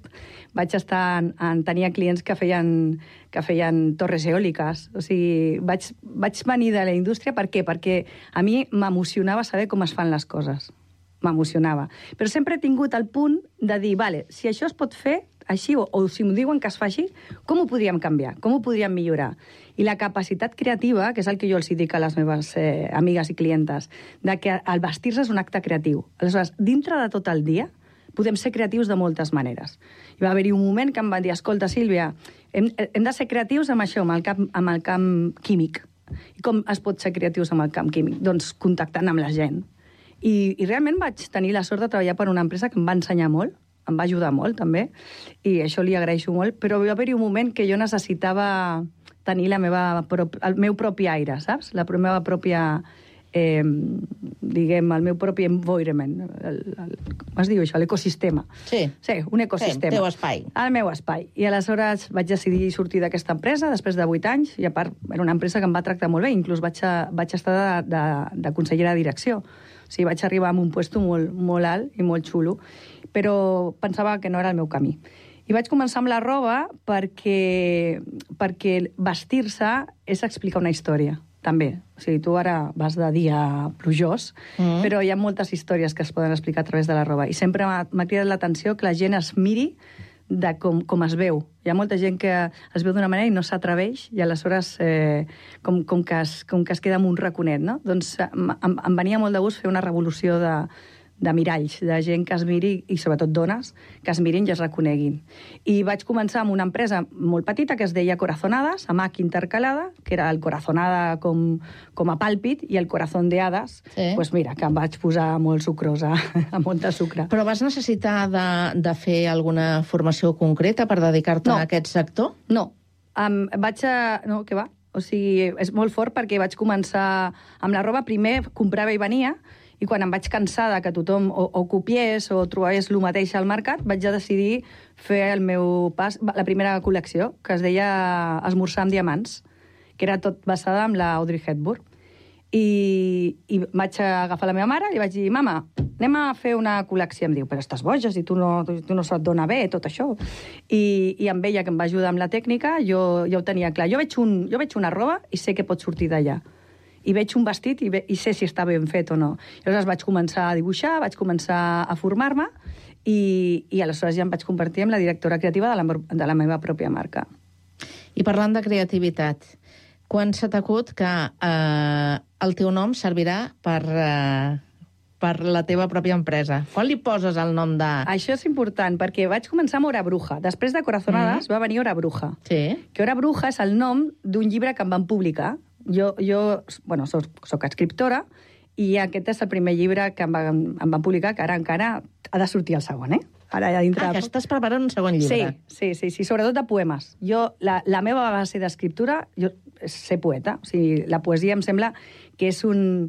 Tenia clients que feien torres eòliques. O sigui, vaig venir de la indústria. Per què? Perquè a mi m'emocionava saber com es fan les coses. M'emocionava. Però sempre he tingut el punt de dir, vale, si això es pot fer així, o si m'ho diuen que es fa així, com ho podríem canviar? Com ho podríem millorar? I la capacitat creativa, que és el que jo els dic a les meves amigues i clientes, de que el vestir-se és un acte creatiu. Aleshores, dintre de tot el dia, podem ser creatius de moltes maneres. Hi va haver-hi un moment que em van dir, escolta, Sílvia, hem de ser creatius amb això, amb el camp químic. I com es pot ser creatius amb el camp químic? Doncs contactant amb la gent. I realment vaig tenir la sort de treballar per una empresa que em va ensenyar molt, em va ajudar molt, també, i això li agraeixo molt, però va haver-hi un moment que jo necessitava tenir el meu propi aire, saps? La meva pròpia, el meu propi environment. Com es diu això? L'ecosistema. Sí, un ecosistema. El teu espai. El meu espai. I aleshores vaig decidir sortir d'aquesta empresa després de 8 anys, i a part era una empresa que em va tractar molt bé, inclús vaig estar de consellera de direcció. O sigui, vaig arribar a un puesto molt alt i molt xulo, però pensava que no era el meu camí. I vaig començar amb la roba perquè vestir-se és explicar una història, també. O sigui, tu ara vas de dia plujós, però hi ha moltes històries que es poden explicar a través de la roba. I sempre m'ha cridat l'atenció que la gent es miri de com es veu. Hi ha molta gent que es veu d'una manera i no s'atreveix, i aleshores com que es queda amb un raconet, no? Doncs em venia molt de gust fer una revolució de miralls, de gent que es miri, i sobretot dones, que es mirin i es reconeguin. I vaig començar amb una empresa molt petita que es deia Corazonadas, amb H intercalada, que era el corazonada com a pàlpit, i el corazón de hades, doncs mira, que em vaig posar molt sucrosa, amb molta sucre. Però vas necessitar de fer alguna formació concreta per dedicar-te a aquest sector? No. No, què va? O sigui, és molt fort perquè vaig començar amb la roba, primer comprava i venia, i quan em vaig cansar que tothom o copiés o trobés el mateix al mercat, vaig decidir fer el meu pas, la primera col·lecció, que es deia Esmorzar amb diamants, que era tot basada en la Audrey Hepburn. I vaig agafar la meva mare i li vaig dir, mama, anem a fer una col·lecció. Em diu, però estàs boja, si tu no se't dona bé tot això. I amb ella, que em va ajudar amb la tècnica, jo ja ho tenia clar. Jo veig una roba i sé que pot sortir d'allà. I veig un vestit i sé si està ben fet o no. Llavors vaig començar a dibuixar, vaig començar a formar-me i aleshores ja em vaig convertir en la directora creativa de la meva pròpia marca. I parlant de creativitat, quan s'ha t'acut que el teu nom servirà per la teva pròpia empresa? Quan li poses el nom de... Això és important, perquè vaig començar amb Hora Bruja. Després de Corazonadas va venir Hora Bruja. Sí. Que Hora Bruja és el nom d'un llibre que em van publicar. Jo soc escriptora i aquest és el primer llibre que em van publicar, que ara encara ha de sortir el segon, Ara ja dintre... que estàs preparant un segon llibre. Sí, sobretot de poemes. La meva base d'escriptura, jo ser poeta. O sigui, la poesia em sembla que és una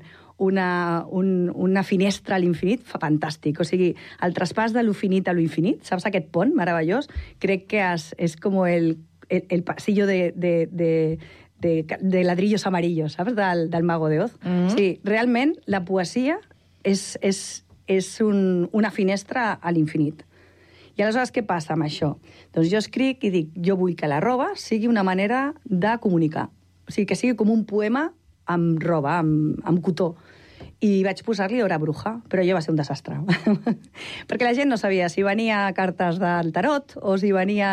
finestra a l'infinit fantàstic. O sigui, el traspàs de lo finit a lo infinit, saps aquest pont meravellós? Crec que és com el pasillo de ladrillos amarillos, saps? Del Mago de Oz. Sí, realment, la poesia és una finestra a l'infinit. I aleshores què passa amb això? Doncs jo escric i dic, jo vull que la roba sigui una manera de comunicar. O sigui, que sigui com un poema amb roba, amb cotó. I vaig posar-li Hora Bruja, però ja va ser un desastre. Perquè la gent no sabia si venia cartes del tarot o si venia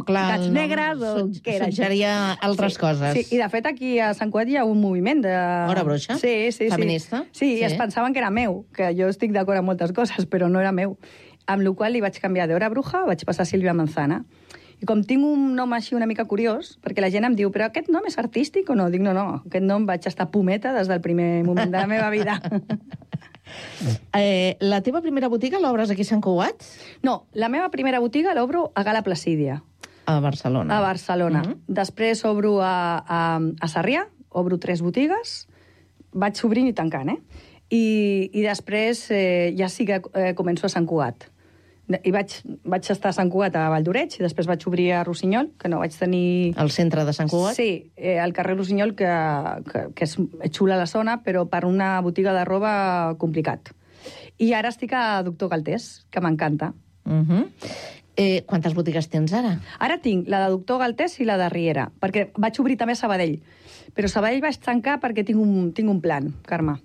gats negres o què era. Suggeria altres coses. Sí, i de fet aquí a Sant Cugat hi ha un moviment de... Hora Bruixa? Sí. Feminista? Sí, i es pensaven que era meu, que jo estic d'acord amb moltes coses, però no era meu. Amb la qual cosa li vaig canviar d'Hora Bruja, vaig passar a Sílvia Manzana. I com tinc un nom així una mica curiós, perquè la gent em diu, però aquest nom és artístic o no? Dic, no, aquest nom vaig estar pometa des del primer moment de la meva vida. La teva primera botiga l'obres aquí a Sant Cugat? No, la meva primera botiga l'obro a Gala Placídia. A Barcelona. A Barcelona. Després obro a Sarrià, obro 3 botigues, vaig obrint i tancant, I després ja sí que començo a Sant Cugat. I vaig estar a Sant Cugat a Valldoreix i després vaig obrir a Rossinyol, que no vaig tenir... Al centre de Sant Cugat? Sí, al carrer Rossinyol, que és xula la zona, però per una botiga de roba complicat. I ara estic a Doctor Galtés, que m'encanta. Quantes botigues tens ara? Ara tinc la de Doctor Galtés i la de Riera, perquè vaig obrir també a Sabadell. Però Sabadell vaig tancar perquè tinc un plan, Carme.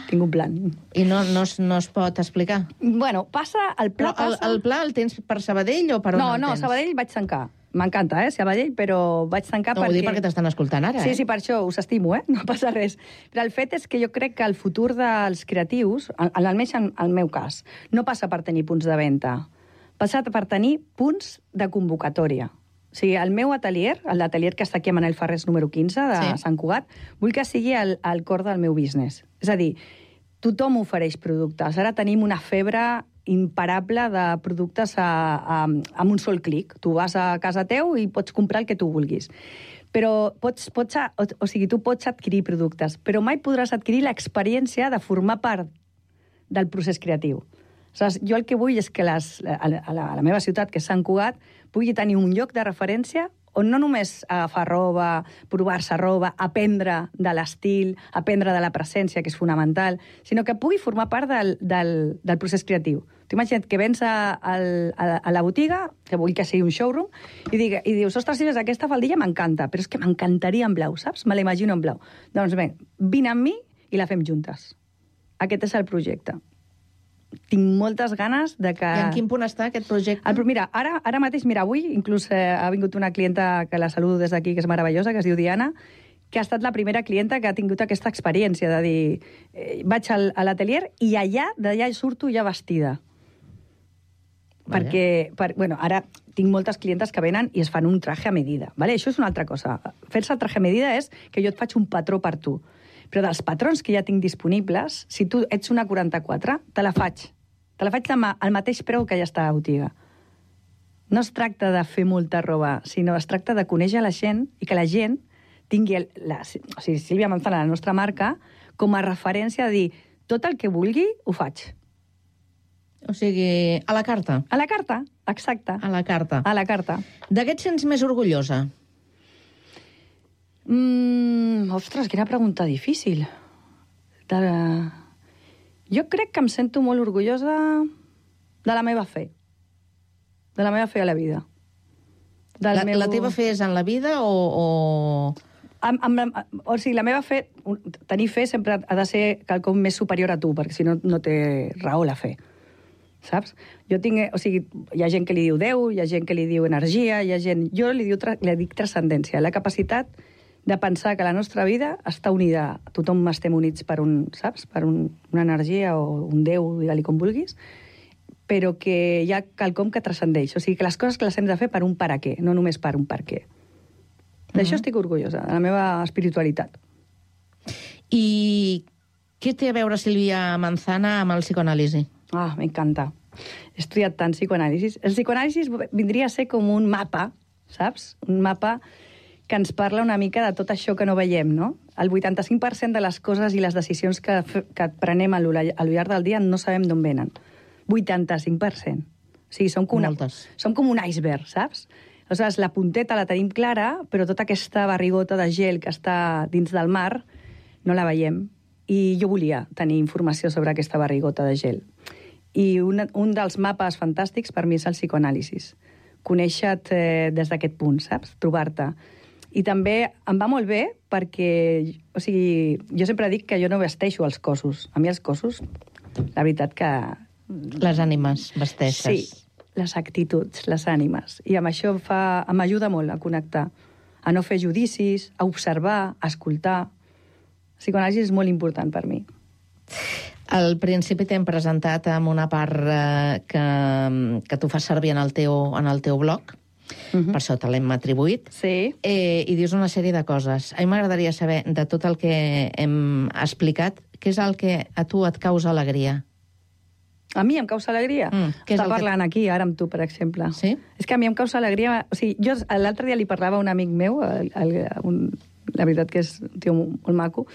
Tinc un plan. I no es pot explicar? Bueno, el pla passa... El pla el tens per Sabadell o per on el tens? No, Sabadell vaig tancar. M'encanta, Sabadell, però vaig tancar perquè... No, ho dic perquè t'estan escoltant ara, Sí, per això us estimo, no passa res. Però el fet és que jo crec que el futur dels creatius, almenys en el meu cas, no passa per tenir punts de venda, passa per tenir punts de convocatòria. O sigui, el meu atelier, l'atelier que està aquí a Manel Ferrés número 15 de Sant Cugat, vull que sigui el cor del meu business. És a dir, tothom ofereix productes. Ara tenim una febre imparable de productes amb un sol clic. Tu vas a casa teu i pots comprar el que tu vulguis. Però tu pots adquirir productes, però mai podràs adquirir l'experiència de formar part del procés creatiu. Aleshores, jo el que vull és que a la meva ciutat, que és Sant Cugat, pugui tenir un lloc de referència on no només agafar roba, provar-se roba, aprendre de l'estil, aprendre de la presència, que és fonamental, sinó que pugui formar part del procés creatiu. Tu imagina't que vens a la botiga, que vull que sigui un showroom, i dius, ostres, Sílvia, aquesta faldilla m'encanta, però és que m'encantaria en blau, saps? Me l'imagino en blau. Doncs bé, vine amb mi i la fem juntes. Aquest és el projecte. Tinc moltes ganes de que... I en quin punt està aquest projecte? Mira, ara mateix, avui inclús ha vingut una clienta que la saludo des d'aquí, que és meravellosa, que es diu Diana, que ha estat la primera clienta que ha tingut aquesta experiència de dir, vaig a l'atelier i d'allà surto ja vestida. Perquè, ara tinc moltes clientes que venen i es fan un traje a medida. Vale? Això és una altra cosa. Fer-se el traje a medida és que jo et faig un patró per tu. Però dels patrons que ja tinc disponibles, si tu ets una 44, te la faig. Te la faig al mateix preu que ja està a la botiga. No es tracta de fer molta roba, sinó es tracta de conèixer la gent i que la gent tingui Sílvia Manzana, la nostra marca, com a referència de dir tot el que vulgui, ho faig. O sigui, a la carta. A la carta, exacte. A la carta. A la carta. De què et sents més orgullosa? Ostres, quina pregunta difícil. Jo crec que em sento molt orgullosa de la meva fe. De la meva fe a la vida. La teva fe és en la vida o...? O sigui, la meva fe... Tenir fe sempre ha de ser quelcom més superior a tu, perquè si no, no té raó la fe. Saps? Jo tinc... O sigui, hi ha gent que li diu Déu, hi ha gent que li diu energia, hi ha gent... Jo li dic transcendència, la capacitat de pensar que la nostra vida està unida, tothom estem units per saps? Per una energia o un Déu, digue-li com vulguis, però que hi ha quelcom que transcendeix. O sigui, que les coses que les hem de fer per un per a què, no només per un per què. D'això estic orgullosa, de la meva espiritualitat. I què té a veure Sílvia Manzana amb el psicoanàlisi? M'encanta. He estudiat tant psicoanàlisi. El psicoanàlisi vindria a ser com un mapa, saps? Un mapa que ens parla una mica de tot això que no veiem, no? El 85% de les coses i les decisions que prenem al llarg del dia no sabem d'on venen. 85%. O sigui, som com un iceberg, saps? Aleshores, la punteta la tenim clara, però tota aquesta barrigota de gel que està dins del mar no la veiem. I jo volia tenir informació sobre aquesta barrigota de gel. I un dels mapes fantàstics per mi és el psicoanàlisi. Conèixer-te des d'aquest punt, saps? Trobar-te. I també em va molt bé perquè, o sigui, jo sempre dic que jo no vesteixo els cossos. A mi els cossos, la veritat que... Les ànimes vesteixes. Sí, les actituds, les ànimes. I amb això m'ajuda molt a connectar, a no fer judicis, a observar, a escoltar. El psicoanàlisi és molt important per mi. Al principi t'hem presentat amb una part que tu fas servir en el teu blog. Per això te l'hem atribuït. Sí. I dius una sèrie de coses. A mi m'agradaria saber, de tot el que hem explicat, què és el que a tu et causa alegria? A mi em causa alegria? Està parlant aquí, ara amb tu, per exemple. Sí? És que a mi em causa alegria... O sigui, jo l'altre dia li parlava a un amic meu, la veritat que és un tio molt maco,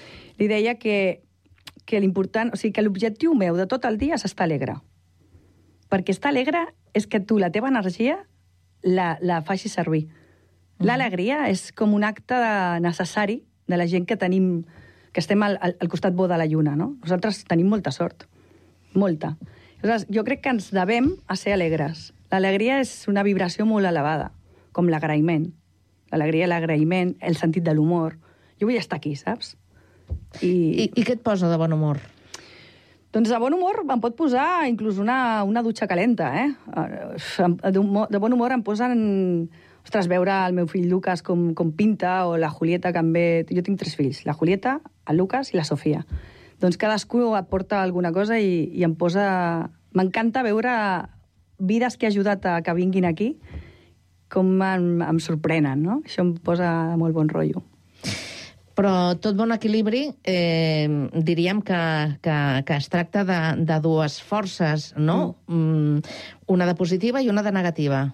li deia que l'important... O sigui, que l'objectiu meu de tot el dia és estar alegre. Perquè estar alegre és que tu, la teva energia, la facis servir. L'alegria és com un acte necessari de la gent que tenim, que estem al costat bo de la lluna, no? Nosaltres tenim molta sort. Molta. Aleshores, jo crec que ens devem a ser alegres. L'alegria és una vibració molt elevada, com l'agraïment. L'alegria, l'agraïment, el sentit de l'humor. Jo vull estar aquí, saps? I què et posa de bon humor? Doncs de bon humor em pot posar inclús una dutxa calenta, eh? De bon humor em posen... Ostres, veure el meu fill Lucas com pinta, o la Julieta que em ve... Jo tinc 3 fills, la Julieta, el Lucas i la Sofia. Doncs cadascú et porta alguna cosa i em posa... M'encanta veure vides que he ajudat a que vinguin aquí, com em sorprenen, no? Això em posa molt bon rotllo. Però tot bon equilibri, diríem que es tracta de dues forces, no? Una de positiva i una de negativa.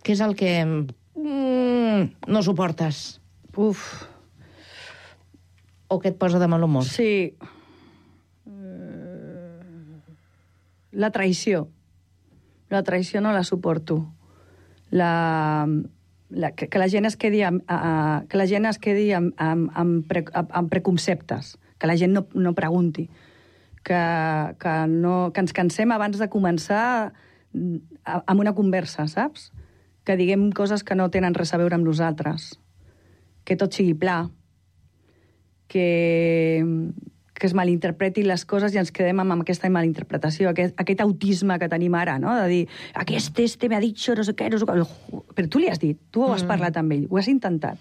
Què és el que no suportes? O que et posa de mal humor? Sí. La traïció. La traïció no la suporto. que la gent es quedi amb preconceptes, que la gent no pregunti, que ens cansem abans de començar amb una conversa, saps? Que diguem coses que no tenen res a veure amb nosaltres, que tot sigui pla, que es malinterpretin les coses i ens quedem amb aquesta malinterpretació, aquest autisme que tenim ara, no? De dir, aquest m'ha dit no sé què, no sé què. Però tu li has dit, tu ho has parlat amb ell, ho has intentat.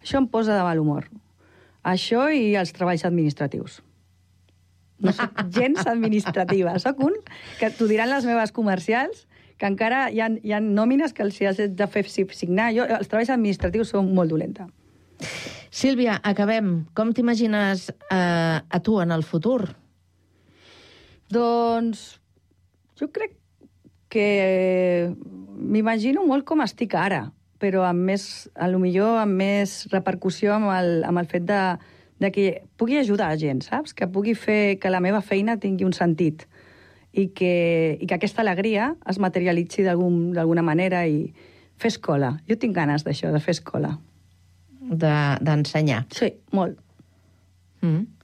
Això em posa de mal humor. Això i els treballs administratius. No soc gens administrativa. Soc un, que t'ho diran les meves comercials, que encara hi ha nòmines que els has de fer signar. Jo, els treballs administratius són molt dolenta. Sílvia, acabem. Com t'imagines a tu en el futur? Doncs jo crec que m'imagino molt com estic ara, però amb més, potser amb més repercussió amb el fet de que pugui ajudar a gent, saps? Que pugui fer que la meva feina tingui un sentit i que aquesta alegria es materialitzi d'alguna manera i fer escola. Jo tinc ganes d'això, de fer escola. D'ensenyar. Sí, molt.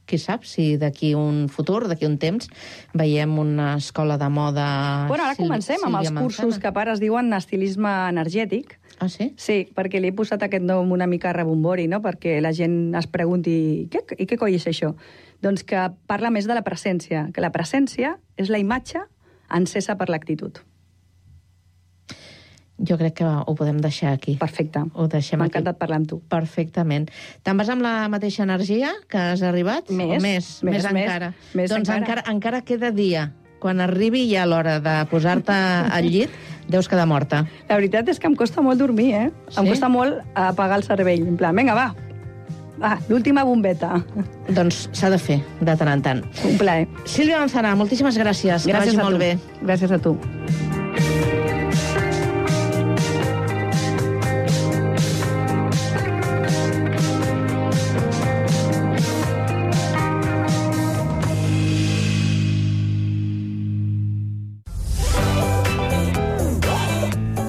Qui sap si d'aquí un futur, d'aquí un temps, veiem una escola de moda... Bueno, ara comencem amb els cursos que ara es diuen estilisme energètic. Ah, sí? Sí, perquè li he posat aquest nom una mica rebombori, no? Perquè la gent es pregunti què coi és això? Doncs que parla més de la presència, que la presència és la imatge encesa per l'actitud. Jo crec que ho podem deixar aquí. Perfecte. M'ha encantat parlar amb tu. Perfectament. Te'n vas amb la mateixa energia que has arribat? Més encara. Doncs encara queda dia. Quan arribi ja l'hora de posar-te al llit, deus quedar morta. La veritat és que em costa molt dormir, eh? Sí? Em costa molt apagar el cervell. En plan, vinga, va, l'última bombeta. Doncs s'ha de fer, de tant en tant. Un plaer. Sílvia Manzana, moltíssimes gràcies. Que vagi molt bé. Gràcies a tu.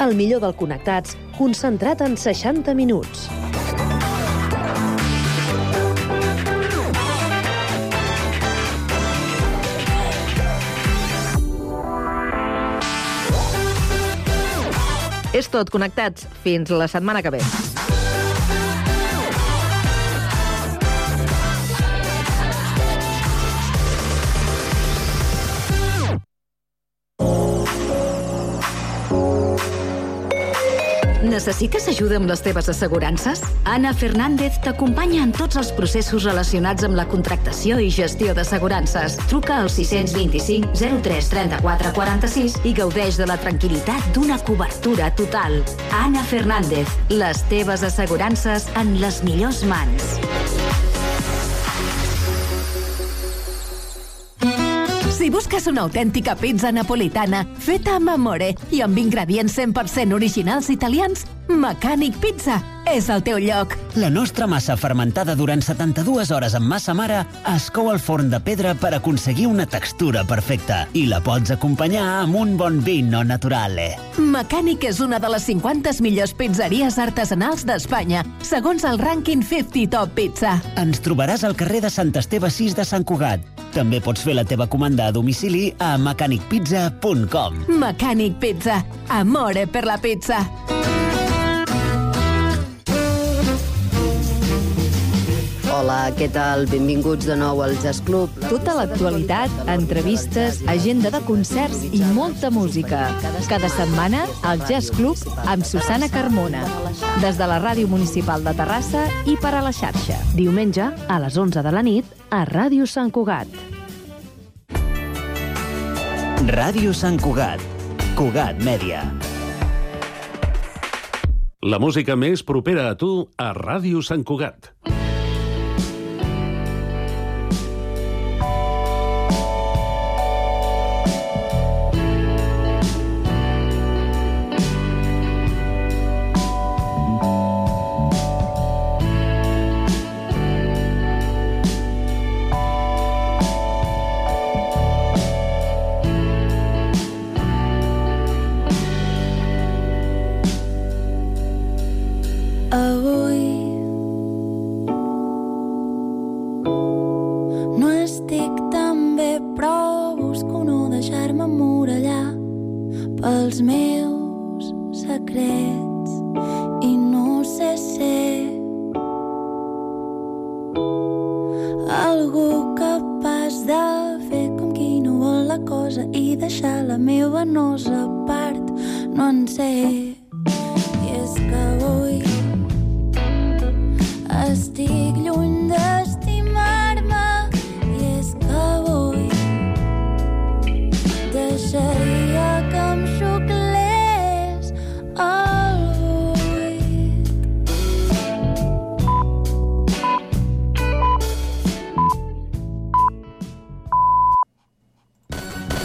El millor del Connectats, concentrat en 60 minuts. És tot, Connectats. Fins la setmana que ve. Necessites ajuda amb les teves assegurances? Ana Fernández t'acompanya en tots els processos relacionats amb la contractació i gestió d'assegurances. Truca al 625 03 34 46 i gaudeix de la tranquil·litat d'una cobertura total. Ana Fernández, les teves assegurances en les millors mans. Si busques una autèntica pizza napolitana feta amb amore i amb ingredients 100% originals italians, Mecànic Pizza és el teu lloc. La nostra massa fermentada durant 72 hores amb massa mare es cou al forn de pedra per aconseguir una textura perfecta i la pots acompanyar amb un bon vino naturale. Mecànic és una de les 50 millors pizzeries artesanals d'Espanya, segons el rànquing 50 Top Pizza. Ens trobaràs al carrer de Sant Esteve 6 de Sant Cugat. També pots fer la teva comanda a domicili a mecanicpizza.com. Mecànic Pizza. Amore per la pizza. Hola, què tal? Benvinguts de nou al Jazz Club. Tota l'actualitat, entrevistes, agenda de concerts i molta música. Cada setmana, al Jazz Club amb Susana Carmona. Des de la Ràdio Municipal de Terrassa i per a la xarxa. Diumenge, a les 11 de la nit, a Ràdio Sant Cugat. Ràdio Sant Cugat. Cugat Mèdia. La música més propera a tu a Ràdio Sant Cugat. però busco no deixar-me emmurallar pels meus secrets i no sé ser algú capaç de fer com qui no vol la cosa i deixar la meva nosa part, no en sé. I és que vull